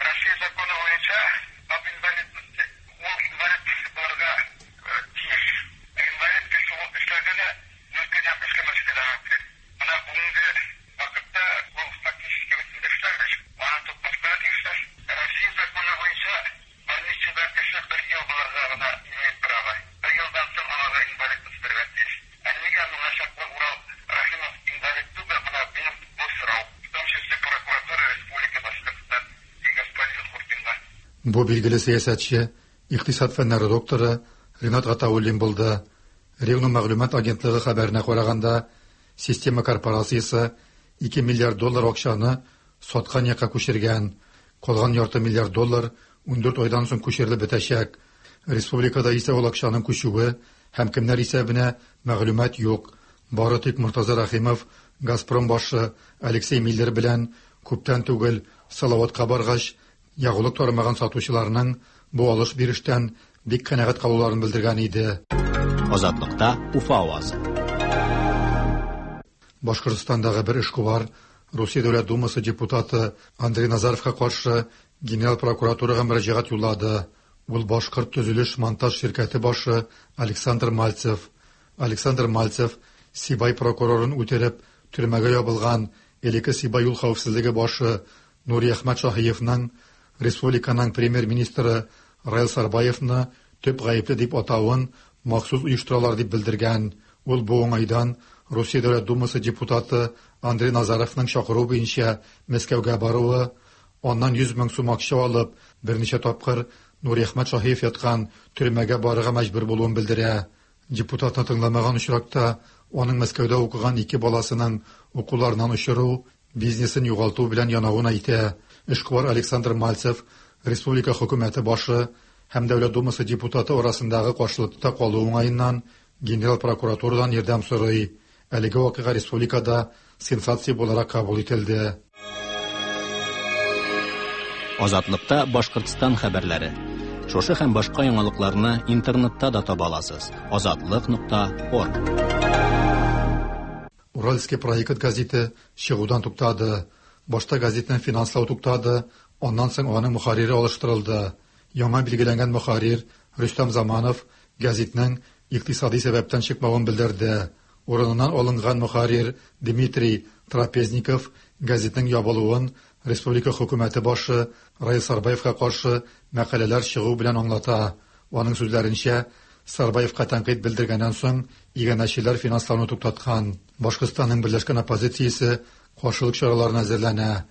Россия законы буенча об инвалидности ул инвалид булырга тиеш. Инвалид кеше ул эшләргә дә мөмкин һәм эшләмәскә дә мөмкин. Менә бүгенге вакытта ул фактически бөтен эшләмеш, аны тотмаска тиешләр. Россия законы буенча больницада кеше бер ел булырга гына имеет право. Бер елдан соң аңа инвалидность бирергә тиеш. Ә нигә моңа чаклы Урал Рахимов инвалид түгел? Менә минем бу сорау. В том числе прокуратура Республики Башкортостан и господин Хуртинга. Бу билгеле сәясәтче, икътисад фәннәре докторы Ринат Гатауллин булды. Ревну мәгълүмат агентлыгы хәбәренә караганда, Система корпорациясе ике миллиард доллар акчаны саткан якка күчергән. Калган ярты миллиард доллар ундүрт айдан соң күчерелеп бетәчәк. Республикада исә ул акчаның күчүе һәм кемнәр исәбенә мәгълүмат юк. Бары тик Муртаза Рахимов Газпром башы Алексей Миллер белән күптән түгел Салаватка баргач, ягулык тармагын сатучыларның бу алыш-бирештән бик канәгать калуларын белдергән иде. Азатлыкта Уфа авазы. Башкортстандагы бер эшкуар Русия Дәүләт Думасы депутаты Андрей Назаровка каршы Генерал прокуратурага мөрәҗәгать юллады. Ул Башкорт төзелеш монтаж ширкәте башы Александр Мальцев. Александр Мальцев Сибай прокурорын үтереп төрмәгә ябылган элекке Сибай юл хәвефсезлеге башы Нуриәхмәт Шаһиевның республиканың премьер-министры Раил Сарбаевны төп гаепле дип атавын махсус оештыралар дип белдергән. Ул бу уңайдан Русия Дәүләт Думасы депутаты Андрей Назаровның чакыруы буенча Мәскәүгә баруы, аннан йөз мең сум акча алып, берничә тапкыр Нуриәхмәт Шаһиев яткан төрмәгә барырга мәҗбүр булуын белдерә. Депутатны тыңламаган очракта аның Мәскәүдә укыган ике баласының укуларыннан очыру, бизнесын югалту белән янавын әйтә. Эшкуар Александр Мальцев республика хөкүмәте башы һәм Дәүләт Думасы депутаты арасындагы каршылыкта калу уңаеннан Генерал прокуратурадан ярдәм сорый. Әлеге вакыйга республикада сенсация буларак кабул ителде. Азатлыкта Башкортстан хәбәрләре. Шушы һәм башка яңалыкларны интернетта да таба аласыз. Азатлык нокта орг. Уральский проект газеты чыгудан туктады. Башта газетны финанслау туктады, Аннан соң аның мөхәррире алыштырылды. Яңа билгеләнгән мөхәррир Рөстәм Заманов гәзитнең икътисади сәбәптән чыкмавын белдерде. Урыныннан алынган мөхәррир Дмитрий Трапезников гәзитнең ябылуын республика хөкүмәте башы Раил Сарбаевка каршы мәкаләләр чыгу белән аңлата. Аның сүзләренчә, Сарбаевка тәнкыйть белдергәннән соң иганәчеләр финанслауны туктаткан. Башкортстанның берләшкән оппозициясе каршылык чараларына әзерләнә.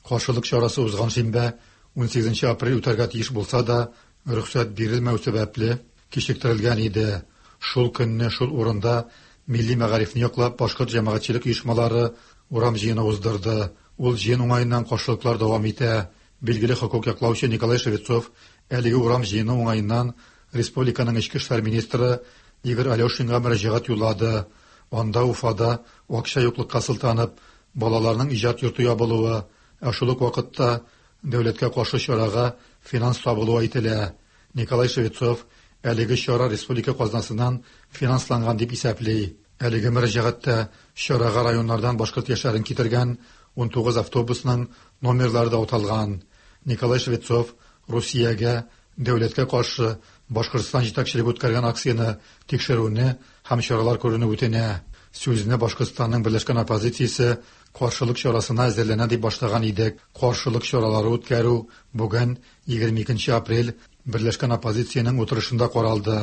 Каршылык чарасы узган шимбә унсигезенче апрель үтәргә тиеш булса да, рөхсәт бирелмәү сәбәпле кичектерелгән иде. Шул көнне шул урында милли мәгарифне яклап башкорт җәмәгатьчелек оешмалары урам җыены уздырды. Ул җыен уңаеннан каршылыклар дәвам итә. Билгеле хокук яклаучы Николай Швецов әлеге урам җыены уңаеннан республиканың эчке эшләр министры Игорь Алешинга мөрәҗәгать юллады. Анда Уфада акча юклыкка сылтанып, балаларның иҗат йорты ябылуы, ә шул ук вакытта дәүләткә каршы чарага финанс табылуы әйтелә. Николай Швецов әлеге чара республика казнасыннан финансланган дип исәпли. Әлеге мөрәҗәгатьтә чарага районнардан башкорт яшьләрен китергән унтугыз автобусның номерлары да аталган. Николай Швецов Русиягә дәүләткә каршы Башкортстан җитәкчелеге үткәргән акцияне тикшерүне һәм чаралар күрүне үтенә. Сүзне Башкортстанның берләшкән оппозициясе каршылык чарасына әзерләнә дип башлаган идек. Каршылык чаралары үткәрү бүген егерме икенче апрель берләшкән оппозициянең утырышында каралды.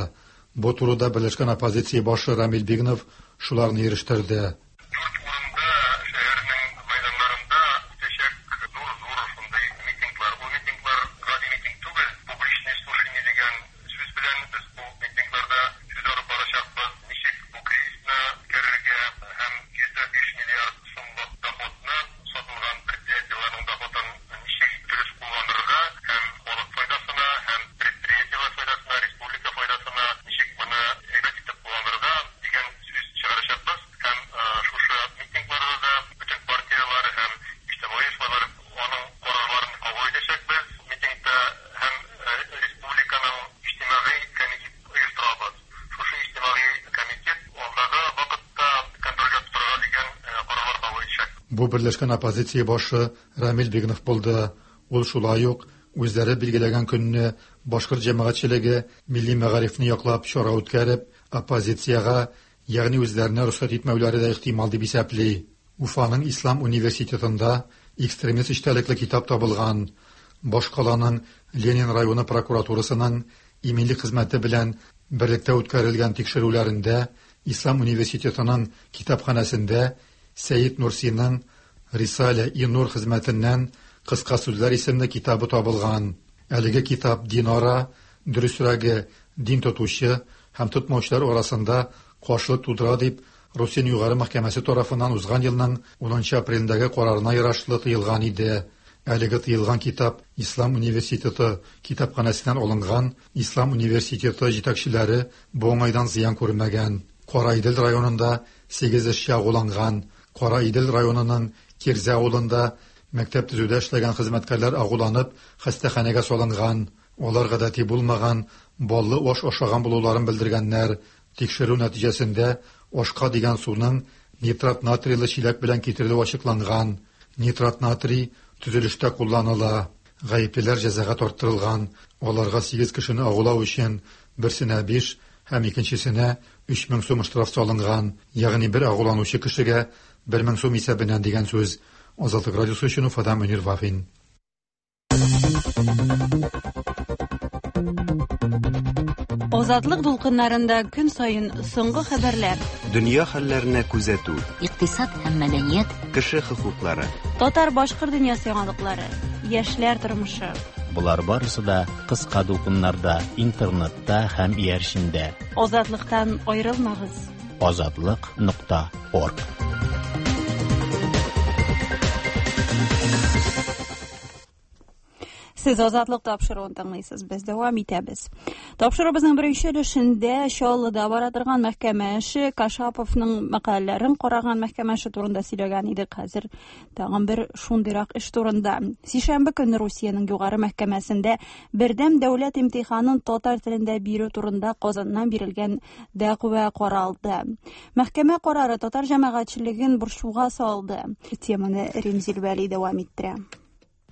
Бу турыда берләшкән оппозиция башы Рамил Бигнов шуларны ирештерде. Бу берләшкән оппозиция башы Рамил Бигнов булды. Ул шулай ук үзләре билгеләгән көнне башкорт җәмәгатьчелеге милли мәгарифне яклап чара үткәреп, оппозициягә, ягъни үзләренә рөхсәт итмәүләре дә ихтимал дип исәпли. Уфаның Ислам университетында экстремист эчтәлекле китап табылган. Башкаланың Ленин районы прокуратурасының иминлек хезмәте белән берлектә үткәрелгән тикшерүләрендә Ислам университетының китапханәсендә Сәйд Нурсиның Рисалә и Нур хезмәтеннән кыска сүзләр исемле китабы табылган. Әлеге китап динара, дөресрәге дин тотучы һәм тотмаучылар арасында каршылык тудыра дип Русия югары мәхкәмәсе тарафыннан узган елның унынчы апрелендәге карарына ярашлы тыелган иде. Әлеге тыелган китап Ислам университеты китапханәсеннән алынган. Ислам университеты җитәкчеләре бу уңайдан зыян күрмәгән. Караидел районында сигез эшче агуланган. Караидел районының Кирзә авылында мәктәп төзүдә эшләгән хезмәткәрләр агуланып хастаханәгә салынган. Алар гадәти булмаган баллы аш ашаган булуларын белдергәннәр. Тикшерү нәтиҗәсендә ашка дигән суның нитрат натрийлы чиләк белән китерелүе ачыкланган. Нитрат натрий төзелештә кулланыла. Гаеплеләр җәзага тарттырылган. Аларга сигез кешене агулау өчен берсенә биш һәм икенчесенә өч мең сум штраф салынган. Ягъни бер агуланучы кешегә бер мең сум исәбеннән дигән сүз. Азатлык радиосы өчен Уфадан Мөнир Вафин. Азатлык дулкыннарында көн саен соңгы хәбәрләр, дөнья хәлләренә күзәтү, икътисад һәм мәдәният, кеше хокуклары, татар-башкорт дөньясы яңалыклары, яшьләр тормышы. Болар барысы да кыска дулкыннарда, интернетта һәм иярчендә. Азатлыктан аерылмагыз. Азатлык нокта орг. Сез Азатлык тапшыруын тыңлыйсыз. Без дәвам итәбез. Тапшыруыбызның беренче өлешендә Чаллыда бара торган мәхкәмә эше, Кашаповның мәкаләләрен караган мәхкәмә эше турында сөйләгән идек. Хәзер тагын бер шундыйрак эш турында. Сишәмбе көнне Русиянең югары мәхкәмәсендә бердәм дәүләт имтиханын татар телендә бирү турында Казаннан бирелгән дәгъва каралды. Мәхкәмә карары татар җәмәгатьчелеген борчуга салды. Теманы Римзил Вәли дәвам иттерә.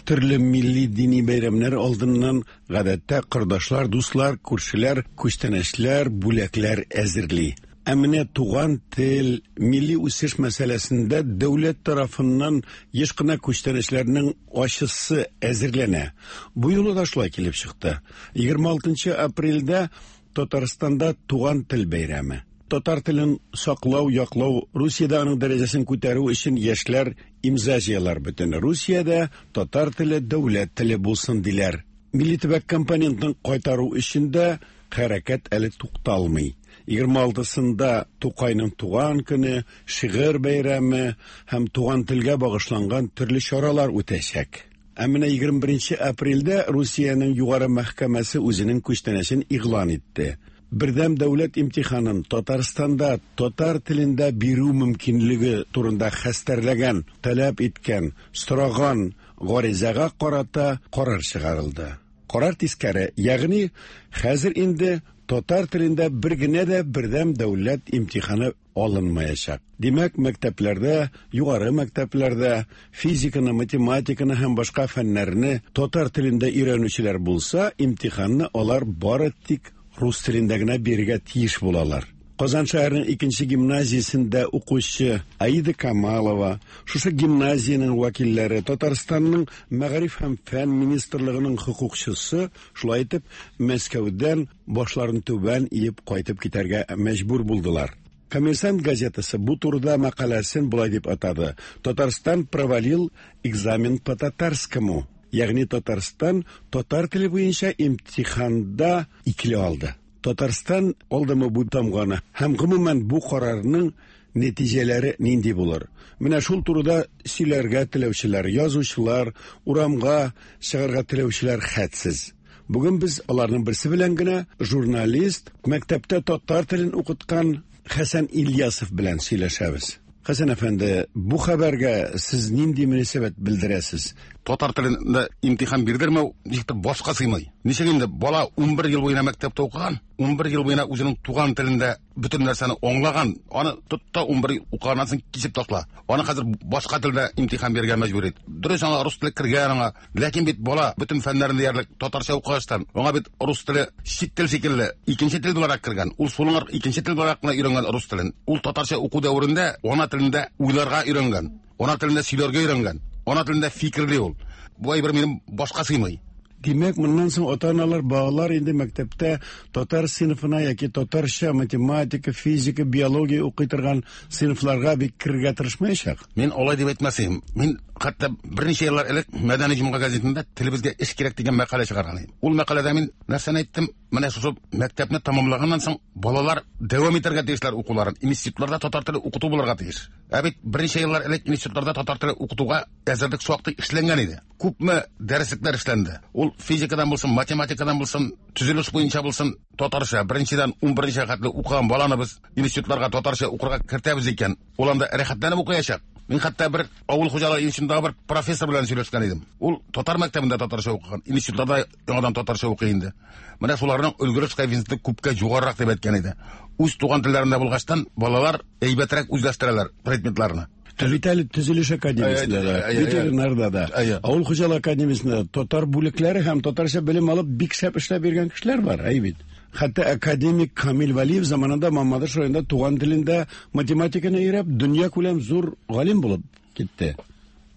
Төрле милли дини бәйрәмнәр алдыннан гадәттә кордашлар, дуслар, күршеләр күчтәнәчләр, бүләкләр әзерли. Ә менә туган тел, милли үсеш мәсьәләсендә дәүләт тарафыннан еш кына күчтәнәчләрнең ачысы әзерләнә. Бу юлы да шулай килеп чыкты. егерме алтынчы апрельдә Татарстанда туган тел бәйрәме. Татар телен саклау, яклау, Русиядә аның дәрәҗәсен күтәрү өчен яшьләр имза җыялар. Бөтен Русиядә татар теле дәүләт теле булсын диләр. Милли төбәк компонентын кайтару өчен дә хәрәкәт әле тукталмый. егерме алтысында Тукайның туган көне, шигырь бәйрәме һәм туган телгә багышланган төрле чаралар үтәчәк. Ә менә егерме беренче апрельдә Русиянең югары мәхкәмәсе үзенең күчтәнәчен игълан итте. Бердәм дәүләт имтиханын Татарстанда татар телендә бирү мөмкинлеге турында хәстәрләгән, таләп иткән, сораган гаризага карата карар чыгарылды. Карар тискәре, ягъни хәзер инде татар телендә бер генә дә бердәм дәүләт имтиханы алынмаячак. Димәк, мәктәпләрдә, югары мәктәпләрдә физиканы, математиканы һәм башка фәннәрне татар телендә өйрәнүчеләр булса, имтиханны алар бары тик рус телендә генә бирергә тиеш булалар. Казан шәһәренең икенче гимназиясендә укучы Аида Камалова, шушы гимназиянең вәкилләре, Татарстанның мәгариф һәм фән министрлыгының хокукчысы, шулай итеп, Мәскәүдән башларын түбән иеп кайтып китәргә мәҗбүр булдылар. Коммерсант газетасы бу турыда мәкаләсен болай дип атады: Татарстан провалил экзамен по татарскому. Ягъни Татарстан татар теле буенча имтиханда икеле алды. Татарстан алдымы бу тамганы һәм гомумән бу карарның нәтиҗәләре нинди булыр? Менә шул турыда сөйләргә теләүчеләр, язучылар, урамга чыгарга теләүчеләр хәтсез. Бүген без аларның берсе белән генә журналист, мәктәптә татар телен укыткан Хәсән Ильясов белән сөйләшәбез. Хәсән әфәнде, бу хәбәргә сез нинди мөнәсәбәт белдерәсез? Татар телендә имтихан бирдермәү ничектер башка сыймый. Ничек инде бала ун бер ел буена мәктәптә укыган, ун бер ел буена үзенең туган телендә бөтен нәрсәне аңлаган, аны тот та ун бер укыганнан соң кисеп ташла. Аны хәзер башка телдә имтихан бирергә мәҗбүр ит. Дөрес, аңа рус теле кергән аңа, ләкин бит бала бөтен фәннәрен диярлек татарча укыгачтан, аңа бит рус теле чит тел шикелле икенче тел буларак кергән. Ул шуның икенче тел буларак кына өйрәнгән рус телен. Ул татарча уку дәверендә ана телендә уйларга өйрәнгән, ана телендә сөйләргә өйрәнгән, ана телендә фикерли ул. Бу әйбер минем башка сыймый. Димәк, моннан соң ата-аналар, балалар инде мәктәптә татар сыйныфына яки татарча математика, физика, биология укый торган сыйныфларга бик керергә тырышмаячак. Мин алай дип әйтмәсем. Мин хәтта берничә еллар элек Мәдәни җомга газетында телебезгә эш кирәк дигән мәкалә чыгарган идем. Ул мәкаләдә мин нәрсәне әйттем? Менә шушы мәктәпне тәмамлаганнан соң балалар дәвам итәргә тиешләр укуларын. Институтларда татар теле укыту булырга тиеш. Ә бит берничә еллар элек институтларда татар теле укытуга әзерлек шактый эшләнгән иде. Күпме дәреслекләр эшләнде. Ул физикадан булсын, математикадан булсын, төзелеш буенча булсын, татарча беренчедән ун беренче хәтле укыган баланы без институтларга татарча укырга кертәбез икән, ул анда рәхәтләнеп укыячак. Мин хәтта бер авыл хуҗалыгы институтындагы бер профессор белән сөйләшкән идем. Ул татар мәктәбендә татарча укыган, институтларда яңадан татарча укый инде. Менә шуларның өлгереш коэффициенты күпкә югарырак дип әйткән иде. Үз туган телләрендә булгачтан балалар әйбәтрәк үзләштерәләр предметларны. Ә бит әле төзелеш академиясендә дә, ветеринарда да, авыл хуҗалыгы академиясендә татар бүлекләре һәм татарча белем алып бик шәп эшләп йөргән кешеләр бар, әй бит. Хәтта академик Камил Вәлиев заманында Мамадыш районында туган телендә математиканы өйрәп, дөнья күләм зур галим булып китте.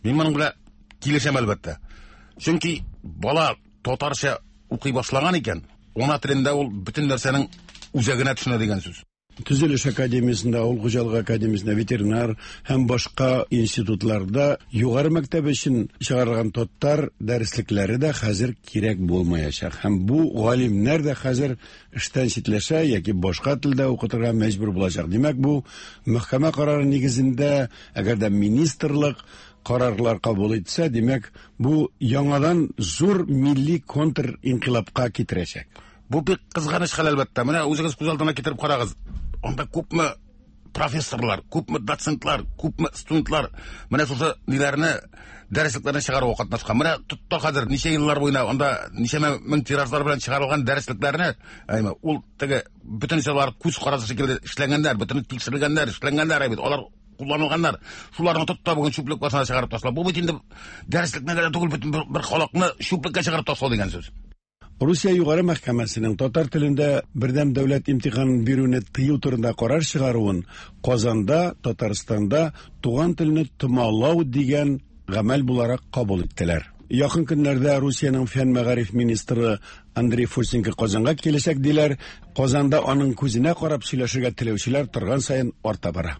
Мин моның белән килешәм әлбәттә. Чөнки бала татарча укый башлаган икән, ана телендә ул бөтен нәрсәнең үзәгенә төшенә дигән сүз. Төзелеш академиясендә, авыл хуҗалыгы академиясендә, ветеринар һәм башка институтларда югары мәктәп өчен чыгарылган татар дәреслекләре дә хәзер кирәк булмаячак. Һәм бу галимнәр дә хәзер эштән читләшә яки башка телдә укытырга мәҗбүр булачак. Димәк, бу мәхкәмә карары нигезендә, әгәр дә министрлык карарлар кабул итсә, димәк, бу яңадан зур милли контринкыйлабка китерәчәк. Бу бик кызганыч хәл әлбәттә. Менә үзегез күз алдына китереп карагыз. Анда күпме профессорлар, күпме доцентлар, күпме студентлар менә шушы ниләрне, дәреслекләрне чыгаруга катнашкан. Менә тотта хәзер ничә еллар буена анда ничәмә мең тиражлар белән чыгарылган дәреслекләрне, әйме, ул теге бөтенесе алар күз карасы шикелле эшләнгәннәр, бөтен тикшерелгәннәр, эшләнгәннәр бит. Алар кулланылганнар. Шуларны тот та бүген чүплек башына чыгарып ташла. Бу бит инде дәреслекне генә түгел, бөтен бер, бер халыкны чүплеккә чыгарып ташлау дигән сүз. Русия Югары мәхкәмәсенең татар телендә бердәм дәүләт имтиханын бирүне тыю турында карар чыгаруын Казанда, Татарстанда туган телне томалау дигән гамәл буларак кабул иттеләр. Якын көннәрдә Русиянең фән мәгариф министры Андрей Фурсенко Казанга киләчәк диләр. Казанда аның күзенә карап сөйләшергә теләүчеләр торган саен арта бара.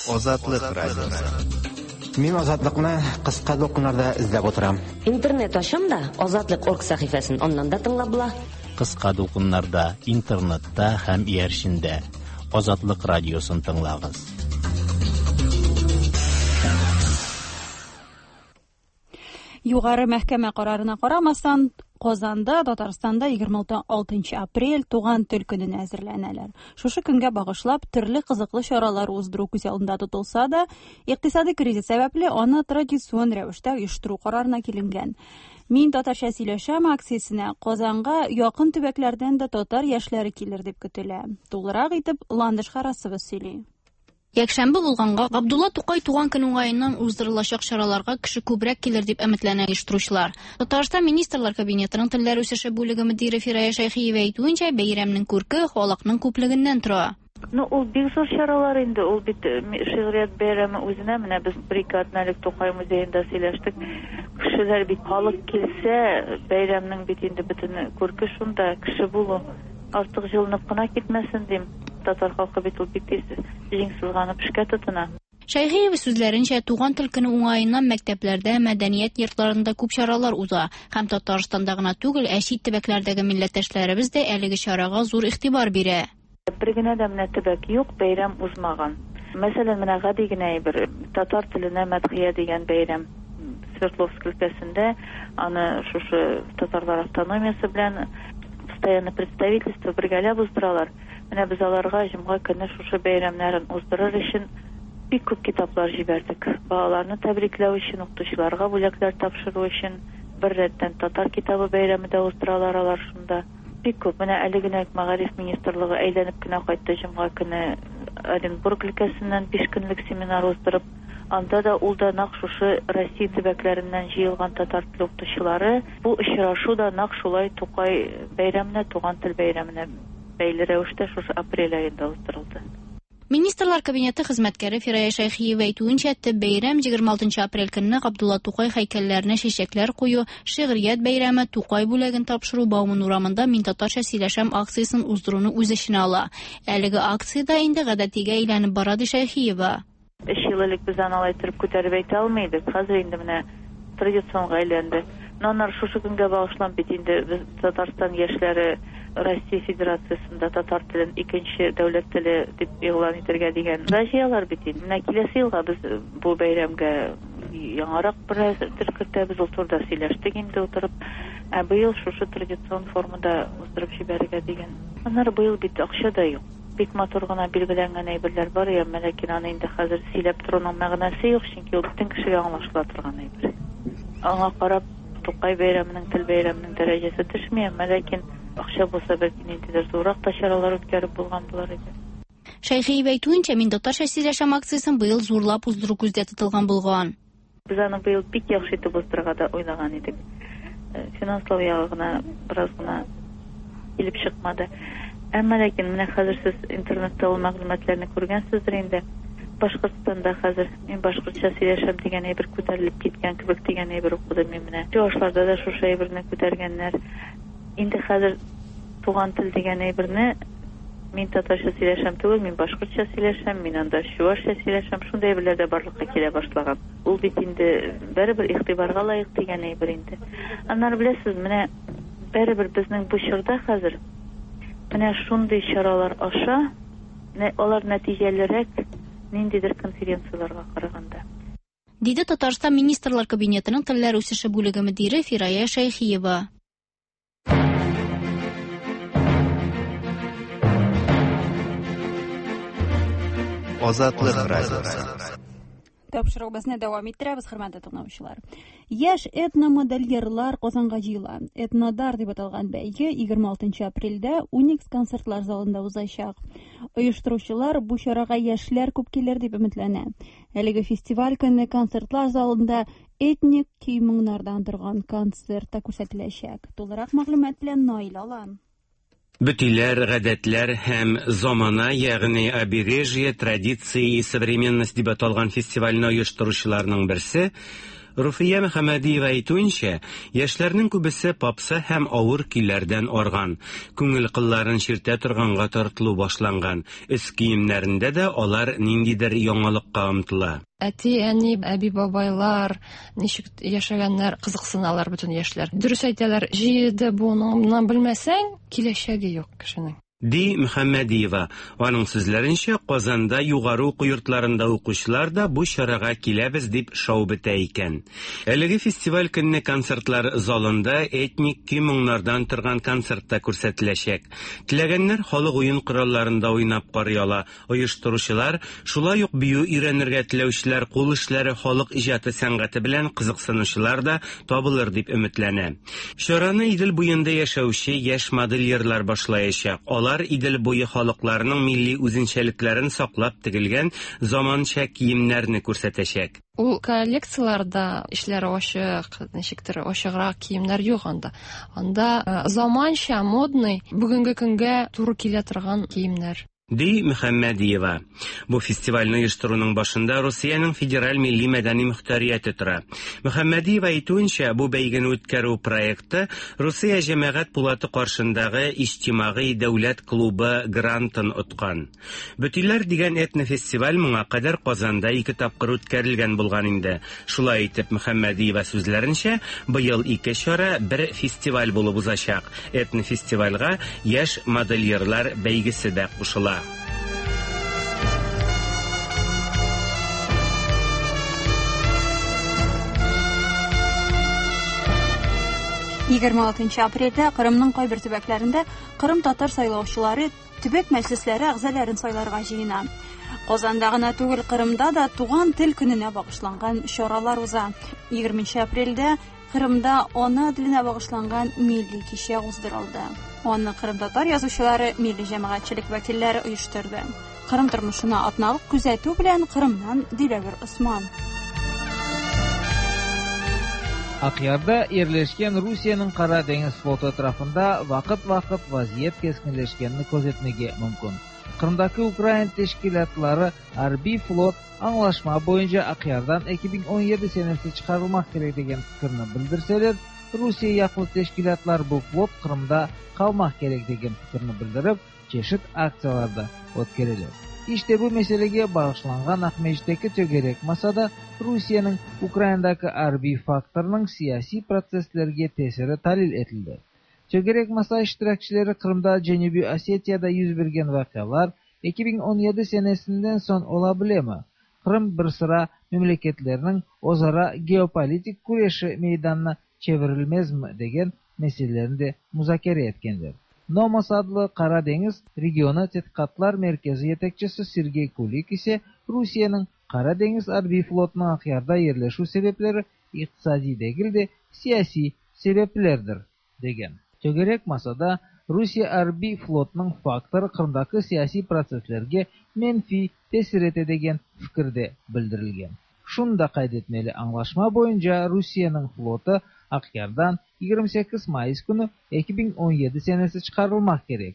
Азатлык радиосы. Мин Азатлыкны кыска дулкыннарда эзләп утырам. Интернет ачам да Азатлык орг сәхифәсен аннан да тыңлап була. Кыска дулкыннарда, интернетта һәм иярчендә Азатлык радиосын тыңлагыз. Югары мәхкәмә карарына карамастан, Казанда, Татарстанда егерме алтынчы апрель туган тел көненә әзерләнәләр. Шушы көнгә багышлап төрле кызыклы чаралар уздыру күз алдында тотылса да, икътисади кризис сәбәпле аны традицион рәвештә оештыру карарына киленгән. Мин татарча сөйләшәм акциясенә Казанга якын төбәкләрдән дә татар яшьләре килер дип көтелә. Тулырак итеп Ландыш Харасова сөйли. Якшәмбе булганга Габдулла Тукай туган көн уңаеннан уздырылачак чараларга кеше күбрәк килер дип өметләнә оештыручылар. Татарстан Министрлар Кабинетының телләр үсеше бүлеге мөдире Фирая Шәйхиева әйтүенчә, бәйрәмнең күрке халыкның күплегеннән тора. Ну, ул бик зур чаралар инде, ул бит шигърият бәйрәме үзенә, менә без бер ике атна элек Тукай музеенда сөйләштек. Кешеләр бит халык килсә, бәйрәмнең бит инде бөтен күрке шунда, кеше булу. Артык җылынып кына китмәсен дим. Татар халкы бит ул бик тиз җиң сызганып эшкә тотына. Шәйхиева сүзләренчә, туган тел көне уңаеннан мәктәпләрдә, мәдәният йортларында күп чаралар уза. Һәм Татарстанда гына түгел, ә чит төбәкләрдәге милләттәшләребез дә әлеге чарага зур игътибар бирә. Бер генә дә менә төбәк юк, бәйрәм узмаган. Мәсәлән, менә гади генә бер татар теленә мәдхия дигән бәйрәм Свердловск өлкәсендә, аны шушы татарлар автономиясе белән постоянно представительство бергәләп уздыралар. Менә без аларга җомга көне шушы бәйрәмнәрен уздырыр өчен бик күп китаплар җибәрдек. Балаларны тәбрикләү өчен, укытучыларга бүләкләр тапшыру өчен бер рәттән татар китабы бәйрәме дә уздыралар алар шунда. Бик күп. Менә әле генә Мәгариф министрлыгы әйләнеп кенә кайтты җомга көне Оренбург өлкәсеннән биш көнлек семинар уздырып, анда да ул да нәкъ шушы Россия төбәкләреннән җыелган татар теле укытучылары. Бу очрашу да нәкъ шулай Тукай бәйрәменә, туган тел бәйрәменә бәйле рәвештә шушы апрель аенда уздырылды. Министрлар Кабинеты хезмәткәре Фирая Шәйхиева әйтүенчә, төп бәйрәм егерме алтынчы апрель көнне Габдулла Тукай һәйкәлләренә чәчәкләр кую, шигърият бәйрәме, Тукай бүләген тапшыру, Бауман урамында Мин татарча сөйләшәм акциясен уздыруны үз эченә ала. Әлеге акция инде гадәтигә әйләнеп бара, ди Шәйхиева. Өч ел элек без аны алай итеп күтәреп әйтә алмый идек. Хәзер инде менә традиционга әйләнде. Аннары шушы көнгә багышланып бит инде без Татарстан яшьләре Россия Федерациясендә татар телен икенче дәүләт теле дип игълан итәргә дигән җыялар бит инде. Менә киләсе елга без бу бәйрәмгә яңарак бер төр кертәбез, ул турыда сөйләштек инде утырып. Ә быел шушы традицион формада уздырып җибәрергә дигән. Аннары быел бит акча да юк. Бик матур гына билгеләнгән әйберләр бар, әмма ләкин аны инде хәзер сөйләп торуның мәгънәсе юк, чөнки ул бөтен кешегә аңлашыла торган әйбер. Аңа карап Тукай бәйрәменең, тел бәйрәменең дәрәҗәсе төшми, әмма ләкин акча булса бәлки ниндидер зуррак та чаралар үткәреп булган булар иде. Шәйхиева әйтүенчә, Мин татарча сөйләшәм акциясен быел зурлап уздыру күздә тотылган булган. Без аны быел бик яхшы итеп уздырырга да уйлаган идек. Финанслау ягы гына бераз гына килеп чыкмады. Әмма ләкин менә хәзер сез интернетта ул мәгълүматларны күргәнсездер инде. Башкортстанда хәзер мин башкортча сөйләшәм дигән әйбер күтәрелеп киткән кебек дигән әйбер укыдым мин менә. Чуашларда да шушы әйберне күтәргәннәр. Инде хәзер туган тел дигән әйберне мин татарча сөйләшәм түгел, мин башкортча сөйләшәм, мин анда чуашча сөйләшәм, шундый әйберләр дә барлыкка килә башлаган. Ул бит инде барыбер игътибарга лаек дигән әйбер инде. Аннары беләсез, менә барыбер безнең бу чорда хәзер менә шундый чаралар аша алар нәтиҗәлерәк ниндидер конференцияларга караганда. Диде Татарстан Министрлар Кабинетының телләр үсеше бүлеге мөдире Фирая Шәйхиева. Азатлык радиосы. Тапшыруыбызны дәвам иттерәбез, хөрмәтле тыңлаучылар. Яшь этномодельерлар Казанга җыела. Этнодар дип аталган бәйге егерме алтынчы апрельдә Уникс концертлар залында узачак. Оештыручылар бу чарага яшьләр күп килер дип өметләнә. Әлеге фестиваль көне концертлар залында этник көй-моңнардан торган концерт та күрсәтеләчәк. Тулырак мәгълүмат белән Наил Алан. Бөтиләр, гадәтләр һәм замана, ягъни обережье, традиции и современность дип аталган фестивальне оештыручыларның берсе Руфия Мөхәммәдиева әйтүенчә, яшьләрнең күбесе попса һәм авыр көйләрдән арган, күңел кылларын чиртә торганга тартылу башланган. Өс киемнәрендә дә алар ниндидер яңалыкка омтыла. Әти, әни, әби, бабайлар ничек яшәгәннәр, кызыксыналар бөтен яшьләр. Дөрес әйтәләр, җиде буыныңнан белмәсәң, киләчәге юк кешенең. Ди Мөхәммәдиева. Аның сүзләренчә, Казанда югары уку йортларында укучылар да бу чарага киләбез дип шау бетә икән. Әлеге фестиваль көнне концертлар залында этник көй-моңнардан торган концерт та күрсәтеләчәк. Теләгәннәр халык уен коралларында уйнап карый ала. Оештыручылар шулай ук бию өйрәнергә теләүчеләр, кул эшләре, халык иҗаты сәнгате белән кызыксынучылар да табылыр дип өметләнә. Чараны Идел буенда яшәүче яшь модельерлар башлаячак. Алар Идел буе халыкларының милли үзенчәлекләрен саклап тегелгән заманча киемнәрне күрсәтәчәк. Ул коллекцияларда эшләре ачык, ничектер ачыграк киемнәр юк анда. Анда заманча, модный, бүгенге көнгә туры килә торган киемнәр. Ди Мөхәммәдиева. Бу фестивальне оештыруның башында Русиянең федераль милли мәдәни мөхтәрияте тора. Мөхәммәдиева әйтүенчә, бу бәйгене үткәрү проекты Русия җәмәгать пулаты каршындагы иҗтимагый дәүләт клубы грантын откан. Бөтиләр дигән этнофестиваль моңа кадәр Казанда ике тапкыр үткәрелгән булган инде. Шулай итеп, Мөхәммәдиева сүзләренчә, быел ике чара бер фестиваль булып узачак. Этнофестивальгә яшь модельерлар бәйгесе дә кушыла. Егерме алтынчы апрельдә Кырымның кайбер төбәкләрендә Кырым татар сайлаучылары төбәк мәҗлесләре әгъзаларын сайларга җыена. Казанда гына түгел, Кырымда да туган тел көненә багышланган чаралар уза. Егерменче апрельдә Кырымда ана теленә багышланган милли кичә уздырылды. Аны Кырым татар язучылары, милли җәмәгатьчелек вәкилләре оештырды. Кырым тормышына атналык күзәтү белән Кырымнан Диләвер Осман. Aqyarda yerleşken Rusiye'nin Qara Deniz flotu etrafında vaqıt-vaqıt vaziyet keskinleşkenini közetmege mümkün. Qırımdaki Ukrain teşkilatları Arbiy flot anlaşma boyunca Aqyardan iki bin on yedi senesi çıkarılmak kerek degen fikrini bildirseler, Rusiye yaqlı teşkilatlar bu flot Qırımda qalmaq kerek degen fikrini bildirip, çeşit aktsiyalarda ötkereler. İşte bu meselege bağışlanğan Aqmescitteki tögerek masada Rusiye'nin Ukrainadaki arbiy faktorının siyasiy protsesslerge tesiri talil etildi. Tögerek masa iştirakçileri Qırımda Cenübi Osetiyada yüz bergen vaqialar iki bin on yedi senesinden soñ ola bilemi? Qırım bir sıra memleketlerinin özara geopolitik küreşi meydanına çevirilmez mi degen meselelerini de muzakere etkenler. Nomos adlı Qara Deniz regionu Tedqiqatlar Merkezi yetekçisi Sergey Kulik ise Rusiye'nin Qara Deniz arbiy flotunun Aqyarda yerleşüv sebepleri iqtisadiy degil de siyasiy sebeplerdir degen. Tögerek masada Rusiye arbiy flotunun faktorı Qırımdaki siyasiy protsesslerge menfiy tesir ete degen fikirde bildirilgen. Şunu da qayd etmeli, anlaşma boyunca Rusiye'nin flotu Aqyardan yigirma sekiz mayıs künü iki bin on yedi senesi çıkarılmak kerek.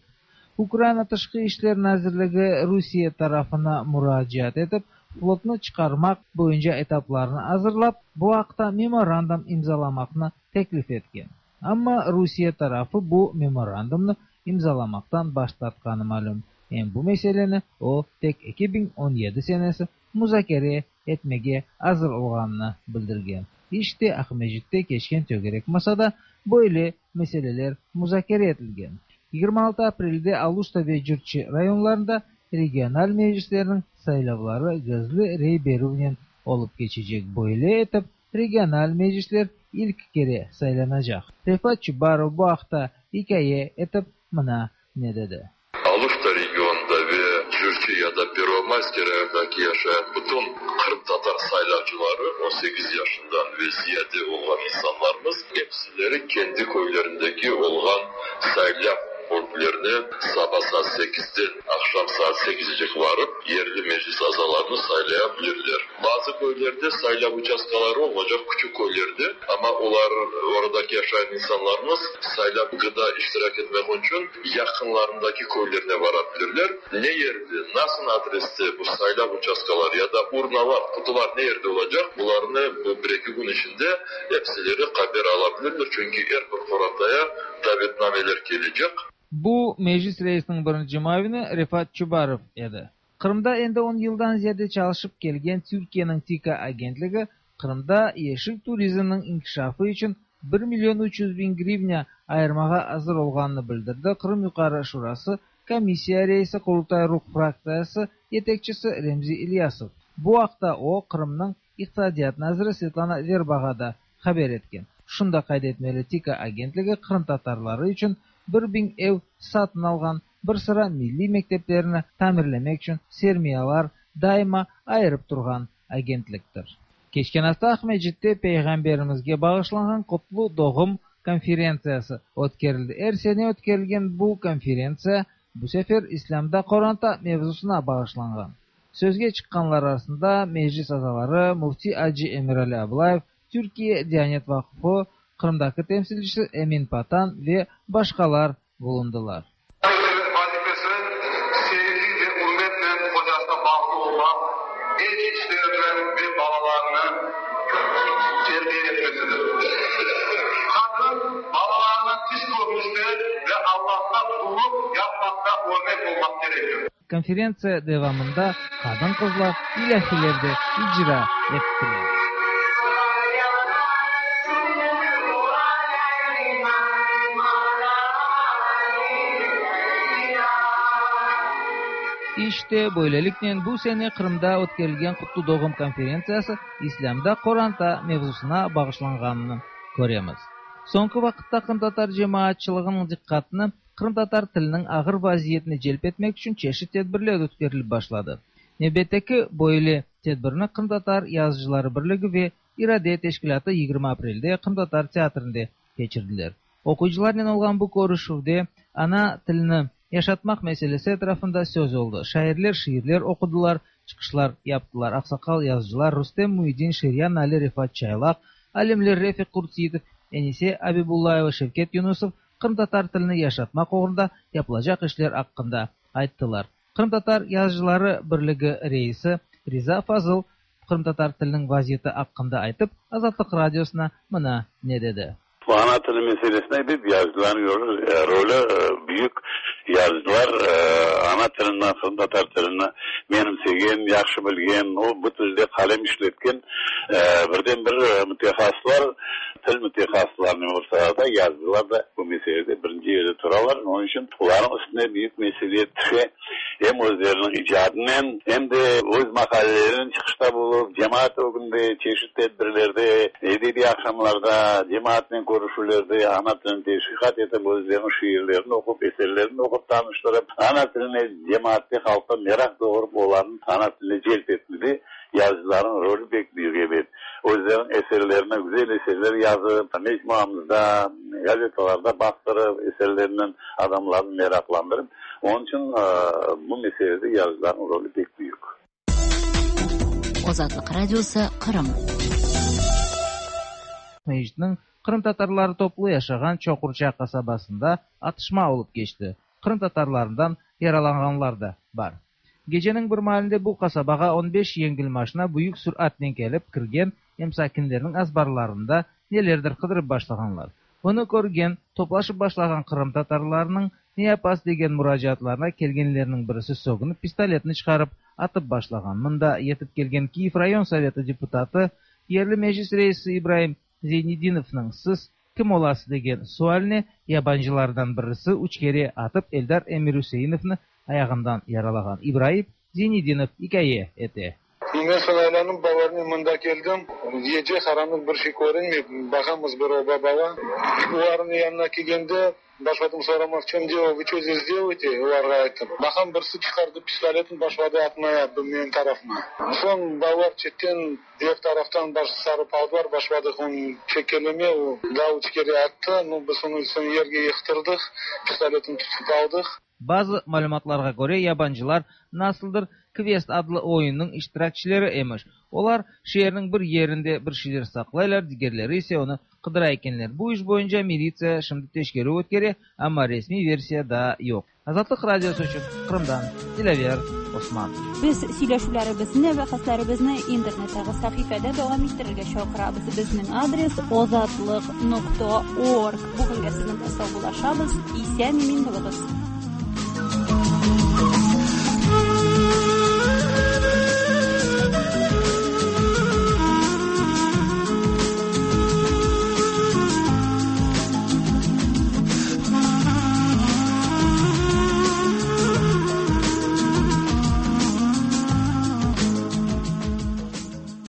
Ukraina Tışqı İşler Nazirligi Rusiye tarafına müracaat etip, flotunu çıkarmak boyunca etaplarını hazırlap, bu haqta memorandum imzalamakны teklif etken. Amma Rusiye tarafı bu memorandumnu imzalamaktan baş tartqanı malum. Hem bu meseleni o tek iki bin on yedi senesi muzakere etmege hazır olğanını bildirgen. İşte Aqmescitte keçken tögerek masada böyle meseleler muzakere etilgen. yigirma altı aprelde Aluşta ve Cürçi rayonlarında regional meclislerinin saylavları gizli rey berüvnen olup keçecek. Böyle etip regional meclisler ilk kere saylanacak. Refat Çubarov bu haqta hikaye etip mına ne dedi. Aluşta regionda ve Cürçi ya da Первомайский районда Aqyardaki yaşayan bütün Qırımtatar saylavcıları, on sekiz yaşından ve ziyade olğan insanlarımız, hepsileri kendi köylerindeki olğan saylav bölüklerine sabah saat sekizden akşam saat sekizce varıp yerli meclis azalarını saylayabilirler. Bazı köylerde saylav uçastkaları olacak, küçük köylerde, ama onlar, oradaki yaşayan insanlarımız saylav gıda iştirak etmek için yakınlarındaki köylerine varabilirler. Ne yerde, nasıl adreste bu saylav uçastkaları ya da urnalar, kutular ne yerde olacak, bunlarını bu bir iki gün içinde hepsileri haber alabilirler. Çünkü her bir qorantaya davetnameler gelecek. Bu Meclis reisiniñ birinci muavini Refat Çubarov edi. Qırımda endi on yıldan ziyade çalışıp kelgen Türkiyeniñ TİKA agentligi Qırımda yeşil turizmniñ inkişafı içün bir million üç yüz biñ grivna ayırmağa azır olğanını bildirdi Qırım Yuqarı Şurası komissiya reisi Qurultay Ruh fraktsiyası yetekçisi Remzi İlyasov. Bu aqta o Qırımnıñ İqtisadiyat naziri Svetlana Verbağa da haber etken. Şunı da qayd etmeli, TİKA agentligi qırımtatarları içün bir biñ ev satın alğan, bir sıra milliy mekteplerini tamirlemek içün sermiyalar daima ayırıp turğan agentliktir. Keçken afta Aqmescitte Peyğamberimizge bağışlanğan Qutlu doğum konferentsiyası ötkerildi. Er sene ötkerilgen bu konferentsiya bu sefer İslâmda qoranta mevzusına bağışlanğan. Sözge çıqqanlar arasında meclis azaları Müfti Acı Emirali Ablayev, Türkiye Diyanet Vaqfı Qırımdaki temsilcisi Emin Patan ve başqalar bulundılar. Vazifesi sevgi ve ürmetle qocasına bağlı olmaq, ev işlerini ve balalarını terbiye etmesidir. Qadın balalarına tiş körünüşte ve Allahqa qullıq yapmaqta örnek olmaq kerektir. Konferentsiya devamında qadın-qızlar ilâhiler de icra ettiler. İşte böyleliknen bu sene Qırımda ötkerilgen Qutlu doğum konferentsiyası İslâmda qoranta mevzusına bağışlanğanını köremiz. Soñki vaqıtta qırımtatar cemaatçılığınıñ diqqatını qırımtatar tiliniñ ağır vaziyetine celp etmek içün çeşit tedbirler ötkerilip başladı. Nevbetteki böyle tedbirni Qırımtatar Yazıcıları Birligi ve İrade Teşkilâtı yigirmi aprelde Qırımtatar teatrinde keçirdiler. Oquyıcılarnen olğan bu körüşüvde ana tilini yaşatmaq meselesi etrafında söz oldı. Şairler şiirler oqudılar, çıqışlar yaptılar. Aqsaqal yazıcılar Rustem Muidin, Şeryan Ali, Refat Çaylaq, alimler Refiq Qurtseyitov, Enise Abibullayeva, Şevket Yunusov qırımtatar tilini yaşatmaq oğrunda yapılacaq işler aqqında ayttılar. Qırımtatar Yazıcıları Birligi reisi Riza Fazıl qırımtatar tiliniñ vaziyeti aqqında aytıp, Azatlıq Radiosına mına ne dedi. Bu ana tili meselesine bir yazıcıların rolü büyük. Yazıcılar ana tilinden, qırımtatar tilini menimsegen, yahşı bilgen, o bu tilde qalem işletken birden bir mütehassıslar, til mütehassıslarının olsa da yazıcılar da bu meselede birinci yerde turalar. Onun için olarnıñ üstüne büyük mesuliyet tüşe. Hem özleriniñ icadınen, hem de öz maqalelerinen çıqışta bulup, cemaat ögünde, çeşit tedbirlerde, edebiy aqşamlarda, cemaatnen körüşüvlerde ana tilini teşviqat etip, özleriniñ şiirlerini oqup, eserlerini oqup tanıştırıp, ana tiline cemaatte, halqta meraq doğurıp, olarnıñ ana tiline celp etmede yazıcılarnıñ rolü pek büyük ebet. Özleriniñ eserlerini, güzel eserler yazıp, mecmuamızda, gazetalarda bastırıp, eserlerinen adamlarnı meraqlandırıp, onun için bu meselede yazıcılarnıñ rolü pek büyük. Azatlıq Radiosı, Qırım. Mecitniñ qırımtatarları toplu yaşağan Çoqurça qasabasında atışma olıp keçti. Qırımtatarlarından yaralanğanlar da bar. Geceniñ bir maalinde bu qasabağa on beş yengil maşina büyük süratnen kelip kirgen em sakinlerniñ azbarlarında nelerdir qıdırıp başlağanlar. Bunı körgen, toplaşıp başlağan qırımtatarlarnıñ ne yapasız degen muracaatlarına kelgenlerniñ birisi sögünip pistoletini çıqarıp atıp başlağan. Mında yetip kelgen Kiyev rayon soveti deputatı, yerli meclis reisi İbrahim Zeynedinovnıñ siz kim olasız degen sualine yabancılardan birisi üç kere atıp Eldar Emirüseinovnı ayağından yaralağan. İbrahim Zeynedinov ikâye ete. Men soñ aylanıp balalarnen mında keldim. Gece qaranlıq, bir şey körünmey. Baqamız, bir oba bala. Olarnıñ yanına kelgende başladım soramaq: "В чем дело, вы что здесь делаете?" Olarğa ayttım. Baqam, birisi çıqardı pistoletin, başladı atmaya menim tarafıma. Soñ balalar çetten, diger taraftan baş sarıp aldılar, başladıq onı çekkeleme, o daa üç kere attı. Ну, biz onı soñ yerge yıqtırdıq, pistoletin tutıp aldıq. Bazı malümatlarğa köre, yabancılar nasıldır Квест adlı oyunnıñ iştirakçileri emiş. Olar şeerniñ bir yerinde bir şeyler saqlaylar, digerleri ise onı qıdıra ekenler. Bu iş boyunca militsiya şimdi teşkerüv ötkere, amma resmiy versiya daa yoq. Azatlıq Radiosı içün Qırımdan Dilâver Osman. Biz сөйләшүләребезне, бәхәсләребезне интернеттагы сәхифәдә дәвам иттерергә чакырабыз. Безнең адрес озатлык нокта орг. Бүгенгә сезнең белән саубуллашабыз. Исән имин булыгыз.